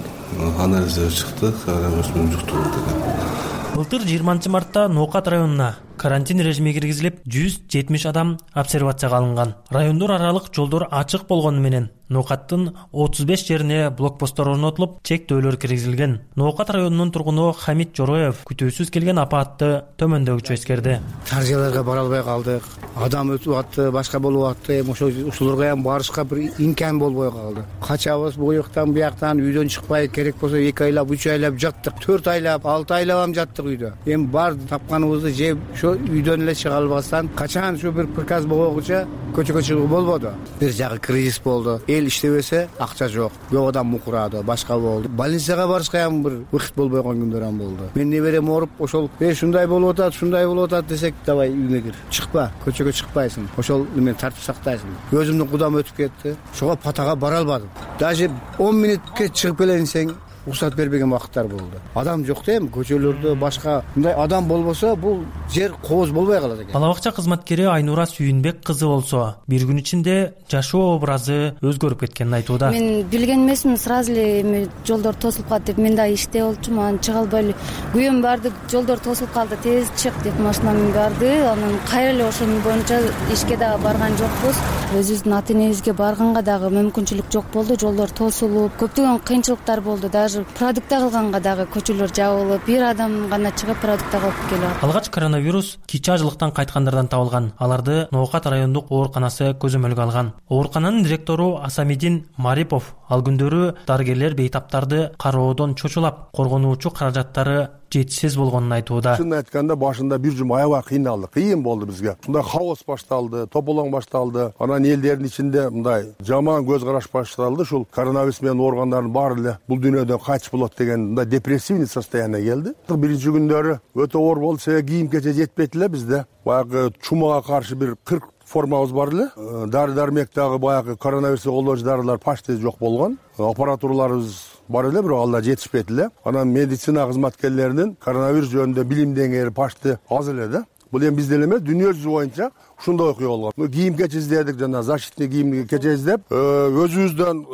Speaker 10: анализдер чыкты, коронавирус менен жуктуруу деген.
Speaker 11: Былтыр жыйырманчы мартта Ноокат районуна карантин режими киргизилип, жүз жетимиш адам обсервацияга алынган. Райондор аралык жолдор ачык болгону менен Ноокаттын отуз беш жерине блокпосттор орнотулуп, чектөөлөр киргизилген. Ноокат районунун тургуну Хамит Жороев күтүүсүз келген апаатты төмөндөгүчө эскерди.
Speaker 12: Шаржаларга бара албай калдык. Адам өтүп атты, башка болуп атты. Ошо ушуларга ham барышка бир имкан болбой калды. Качабыз буяктан бияктан, үйдөн чыкпай, керек болсо эки айлап, үч айлап жаттык, төрт айлап, алты айлап ham жаттык үйдө. Эми бар тапканыбызды жеп, үйдөн эле чыга албастан качан ушу бир приказ болгуча көчөгө чыгуу болбоду. Бир жагы кризис болду. Эл иштебесе акча жок. Көп адам мукурады, башка болду. Больницага барышка ham бир вакыт болбой койгон күндөр ham болду. Мен неберем ооруп, ошол "Э, ушундай болуп атат, ушундай болуп атат" десек, "Давай үйгө кир. Чыкпа, көчөгө чыкпайсың. Ошол немен тартип сактайсың." Өзүмдүн кудам өтүп кетти. Ошого патага бара албадым. Даже он мүнөткө чыгып келейин десең, уруксат бербеген убакыттар болду. Адам жок да эми көчөлөрдө башка мындай адам болбосо бул жер кооз болбой калат экен.
Speaker 11: Бала бакча кызматкери Айнура Сүйүнбек кызы болсо, бир күн ичинде жашоо образы өзгөрүп кеткенин айтууда.
Speaker 13: Мен билген эмесмин, сразу эле эми жолдор тосулуп калды деп, мен да иште болчумун, анан чыга албай эле. Күйөөм барды, жолдор тосулуп калды, тез чык деп машинамды барды. Анан кайра эле ошонун боюнча ишке дагы барган жокпуз. Өзүбүздүн ата энебизге барганга дагы мүмкүнчүлүк жок болду. Жолдор тосулуп, көптөгөн кыйынчылыктар болду. Даже продукт алганга дагы көчөлөр жабылып, бир адам гана чыгып продукт алып келет.
Speaker 11: Алгач коронавирус кичи ажылыктан кайткандардан табылган. Аларды Ноокат райондук ооруканасы көзөмөлгө алган. Оорукананын директору Асамидин Марипов Ал күндөрү дарыгерлер бейтаптарды кароодон чочулап, коргонуучу каражаттары жетишсиз болгонун айтууда.
Speaker 25: Чынын айтканда башында бир жум аябай кыйналдык, кыйын болду бизге. Мындай хаос башталды, тополоң башталды. Анан элдердин ичинде мындай жаман көз караш башталды. Ушул коронавирус менен ооругандардын баары эле бул дүйнөдөн кайтыш болот деген мындай депрессивный состояние келди. Биринчи күндөрү өтө оор болду, себеби кийим кече жетпейт эле бизде. Баягы чумага каршы бир кырк формабыз бар эле. Дары дармек дагы баягы коронавирусты колдоочу дарылар почти жок болгон. Аппаратураларыбыз бар эле, бирок алар жетишпейт эле. Анан медицина кызматкерлеринин коронавирус жөнүндө билим деңгээли почти аз эле да. Бул эми бизде эле эмес, дүйнө жүзү боюнча ушундай окуя болгон. Кийим кече издедик, жана защитный кийим кече издеп, өзүбүздөн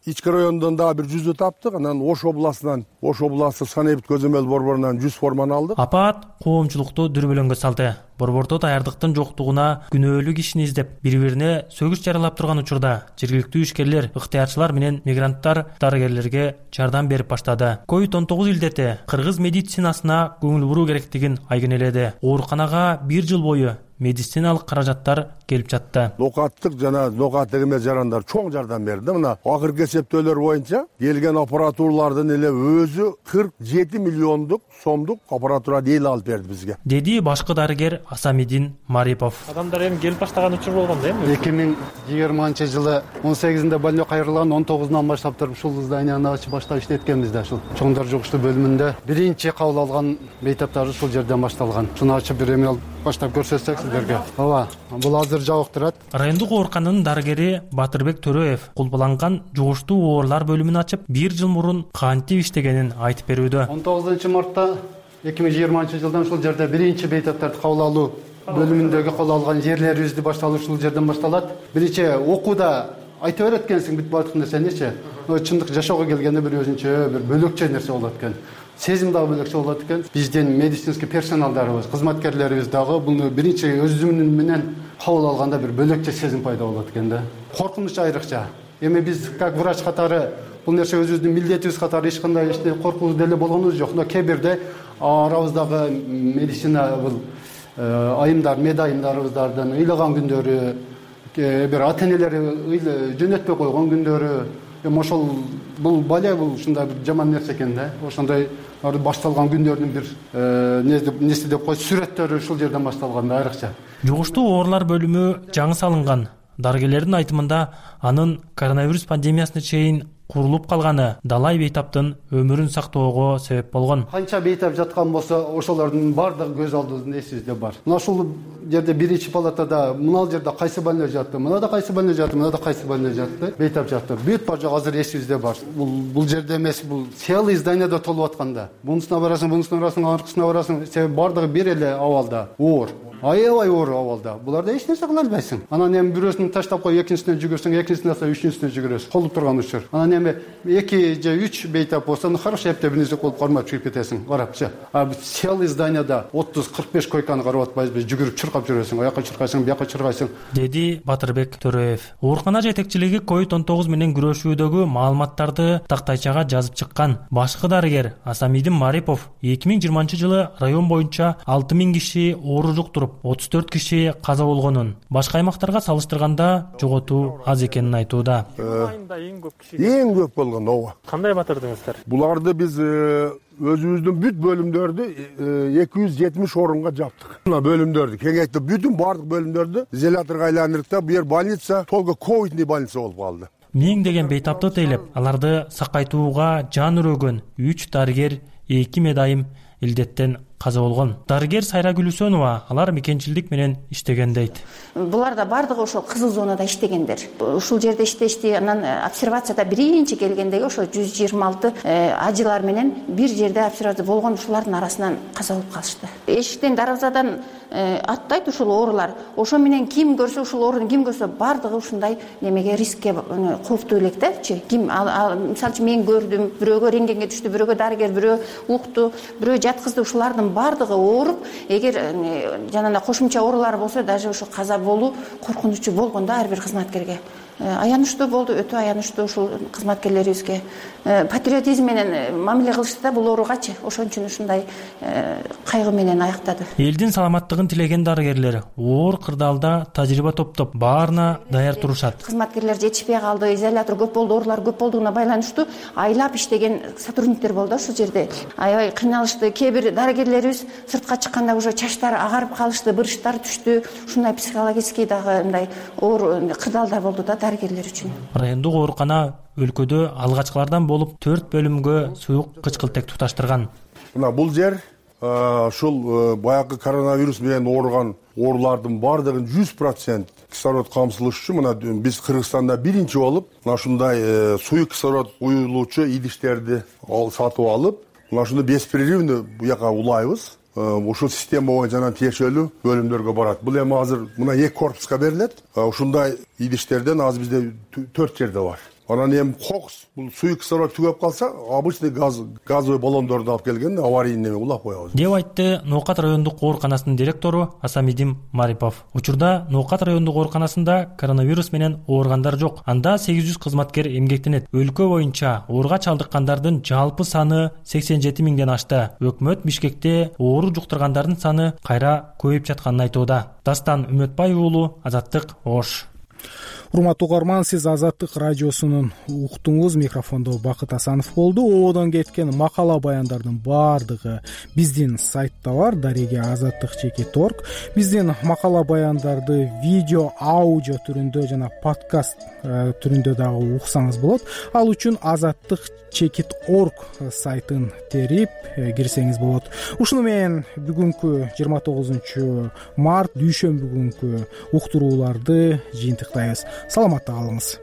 Speaker 25: ички райондон дагы бир жүздү таптык. Анан Ош областынан, Ош областы санэпид көзөмөл борборунан жүз форманы алдык.
Speaker 11: Апаат коомчулукту дүрбөлөңгө салды. Борбордо даярдыктын жоктугуна күнөөлүү кишини издеп, бири-бирине сөгүш жаралап турган учурда жергиликтүү ишкерлер, ыктыярчылар менен мигранттар дарыгерлерге жардам берип баштады. ковид он тогуз илдети кыргыз медицинасына көңүл буруу керектигин айгинеледи. Ооруканага бир жыл бою медициналык каражаттар келип жатты.
Speaker 25: Нокаттык жана нокаттык эмес жарандар чоң жардам берди. Мына акыркы эсептөөлөр боюнча келген аппаратуралардын эле өзү кырк жети миллиондук сомдук аппаратура дейли алып берди бизге.
Speaker 11: Деди башкы дарыгер Асамидин Марипов.
Speaker 14: Адамдар эми келип баштаган учур болгон да эми.
Speaker 15: эки миң жыйырманчы жылы он сегизинде больной кайрылган, он тогузунан баштап туруп ушул зданияны ачып баштап иштеткенбиз да. Ушул чоңдор жугуштуу бөлүмүндө биринчи кабыл алган бейтаптар ушул жерден башталган. Шуну ачып бир эме алып баштап көрсөтсөк сиздерге. Ооба, бул азыр жабык турат.
Speaker 11: Райондук оорукананын дарыгери Батырбек Төрөев кулпаланган жугуштуу оорулар бөлүмүн ачып, бир жыл мурун кантип иштегенин айтып берүүдө.
Speaker 15: он тогузунчу мартта эки миң жыйырманчы жылдан ушул жерде биринчи бейтаптарды кабыл алуу бөлүмүндөгү кол алган жерлерибизди башталуу ушул жерден башталат. Биринчи окууда айта берет экенсиң бүт баардык нерсеничи. Чындык жашоого келгенде бир өзүнчө бир бөлөкчө нерсе болот экен. Сезим дагы бөлөкчө болот экен. Биздин медицинский персоналдарыбыз, кызматкерлерибиз дагы буну биринчи өзүмүн менен кабыл алганда бир бөлөкчө сезим пайда болот экен да. Коркунуч айрыкча. Эми биз как врач катары бул нерсе өзүбүздүн милдетибиз катары эч кандай иште коркуу деле болгонубуз жок. Но кээ бирде арабыздагы медицина бул айымдар, медайымдарыбыздардын ыйлаган күндөрү, бир ата энелери жөнөтпөй койгон күндөрү, эми ошол бул бале бул ушундай бир жаман нерсе экен да. Ошондой башталган күндөрдүн бир нерсе деп коет, сүрөттөрү ушул жерден башталган да айрыкча.
Speaker 11: Жугуштуу оорулар бөлүмү жаңы салынган. Дарыгерлердин айтымында анын коронавирус пандемиясына чейин курулуп калганы далай бейтаптын өмүрүн сактоого себеп болгон.
Speaker 15: Канча бейтап жаткан болсо, ошолордун баардыгы көз алдыбыздын эсибизде бар. Мына ушул жерде биринчи палатада мына жерде кайсы больной жатты, мына да кайсы больной жатты, мына да кайсы больной жатты, бейтап жатты. Бүт бар жок азыр эсибизде бар. Бул бул жерде эмес, бул целый зданияда толуп атканда. Бунусуна барасың, бунусуна барасың, аркысына барасың, себеби баардыгы бир эле абалда, оор. Аябай оор абалда. Буларда эч нерсе кыла албайсың. Анан эми бирөөсүн таштап кой, экинчисине жүгүрсөң, экинчисине алса, үчүнчүсүнө жүгүрөсүң. Колуп турган учур. Анан эми эки же үч бейтап болсо, хорошо эптеп бир нерсе колуп кармап чыгып кетесиң. Карапчы. А целый зданияда отуз кырк беш койканы карап атпайбыз, жүгүрүп чуркап жүрөсүң. Аяка чуркайсың, бияка чуркайсың.
Speaker 11: Деди Батырбек Төрөев. Оорукана жетекчилиги ковид он тогуз менен күрөшүүдөгү маалыматтарды тактайчага жазып чыккан. Башкы дарыгер Асамидин Марипов эки миң жыйырманчы жылы район боюнча алты миң киши оору жуктуруп, отуз төрт киши каза болгонун, башка аймактарга салыштырганда жоготуу аз экенин айтууда.
Speaker 25: Эң көп болгон ооба.
Speaker 14: Кандай батырдыңыздар?
Speaker 25: Буларды биз өзүбүздүн бүт бөлүмдөрдү эки жүз жетимиш орунга жаптык. Мына бөлүмдөрдү кеңейтип, бүтүн баардык бөлүмдөрдү изоляторго айландырдык да, бу жер больница, только ковидный больница болуп калды.
Speaker 11: Миңдеген бейтапты тейлеп, аларды сакайтууга жан өрөгөн үч дарыгер, эки медайым илдеттен каза болгон. Дарыгер Сайра Гүлүсөнова алар мекенчилдик менен иштеген дейт.
Speaker 23: Булар да бардыгы ошол кызыл зонада иштегендер. Ушул жерде иштешти. Анан обсервацияда биринчи келгендеги ошо жүз жыйырма алты ажылар менен бир жерде обсервация болгон, ушулардын арасынан каза болуп калышты. Эшиктен дарбазадан аттайт ушул оорулар. Ошо менен ким көрсө, ушул ооруну ким көрсө, бардыгы ушундай немеге, рискке кооптуу элек дачы. Ким мисалы үчүн мен көрдүм, бирөөгө рентгенге түштү, бирөөгө дарыгер, бирөө укту, бирөө жаткызды, ушулардын бардыгы ооруп, эгер жанагындай кошумча оорулар болсо, даже ошо каза болуу коркунучу болгон да ар бир кызматкерге. аянычтуу болду, өтө аянычтуу ушул кызматкерлерибизге патриотизм менен мамиле кылышты да бул ооруугачы, ошон үчүн ушундай кайгы менен аяктады.
Speaker 11: Элдин саламаттыгын тилеген дарыгерлер оор кырдаалда тажрыйба топтоп баарына даяр турушат.
Speaker 23: Кызматкерлер жетишпей калды, изолятор көп болду, оорулар көп болдугуна байланыштуу айлап иштеген сотрудниктер болду ушул жерде. Аябай кыйналышты. Кээ бир дарыгерлерибиз сыртка чыкканда уже чачтары агарып калышты, бырыштар түштү. Ушундай психологический дагы мындай оор кырдаалдар болду да дарыгерлер үчүн.
Speaker 11: Райондук оорукана өлкөдө алгачкылардан болуп төрт бөлүмгө суюк кычкылтек туташтырган.
Speaker 25: Мына бул жер ушул баягы коронавирус менен ооруган оорулардын баардыгын жүз процент кислород камсыздаш үчүн мына биз Кыргызстанда биринчи болуп мына ушундай суюк кислород куюлуучу идиштерди сатып алып, мына ушуну беспрерывно буяка улайбыз. Ушул система боюнча жана тиешелүү бөлүмдөргө барат. Бул эми азыр мына эки корпуска берилет. Ушундай идиштерден азыр бизде төрт жерде бар. Анан эми кокус, бул суюк кислород түгөп калса, обычный газ газовый баллондорду алып келген аварийный неме улап коебуз
Speaker 11: деп айтты Ноокат райондук ооруканасынын директору Асамидим Марипов. Учурда Ноокат райондук ооруканасында коронавирус менен ооругандар жок. Анда сегиз жүз кызматкер эмгектенет. Өлкө боюнча ооруга чалдыккандардын жалпы саны сексен жети миңден ашты. Өкмөт Бишкекте оору жуктургандардын саны кайра көбөйүп жатканын айтууда. Дастан Үмөтбай уулу, Азаттык, Ош.
Speaker 1: Урматтуу угарман, сиз Азаттык радиосунун уктуңуз. Микрофондо Бакыт Асанов болду. Ободон кеткен макала баяндардын баардыгы биздин сайтта бар, дареге азаттык чекит орг. Биздин макала баяндарды видео, аудио түрүндө жана подкаст түрүндө дагы уксаңыз болот. Ал үчүн азаттык чекит орг сайтын терип кирсеңиз болот. Ушуну менен бүгүнкү жыйырма тогузунчу март дүйшөмбү күнкү уктурууларды жыйынтыктайбыз. Саламатта калыңыз.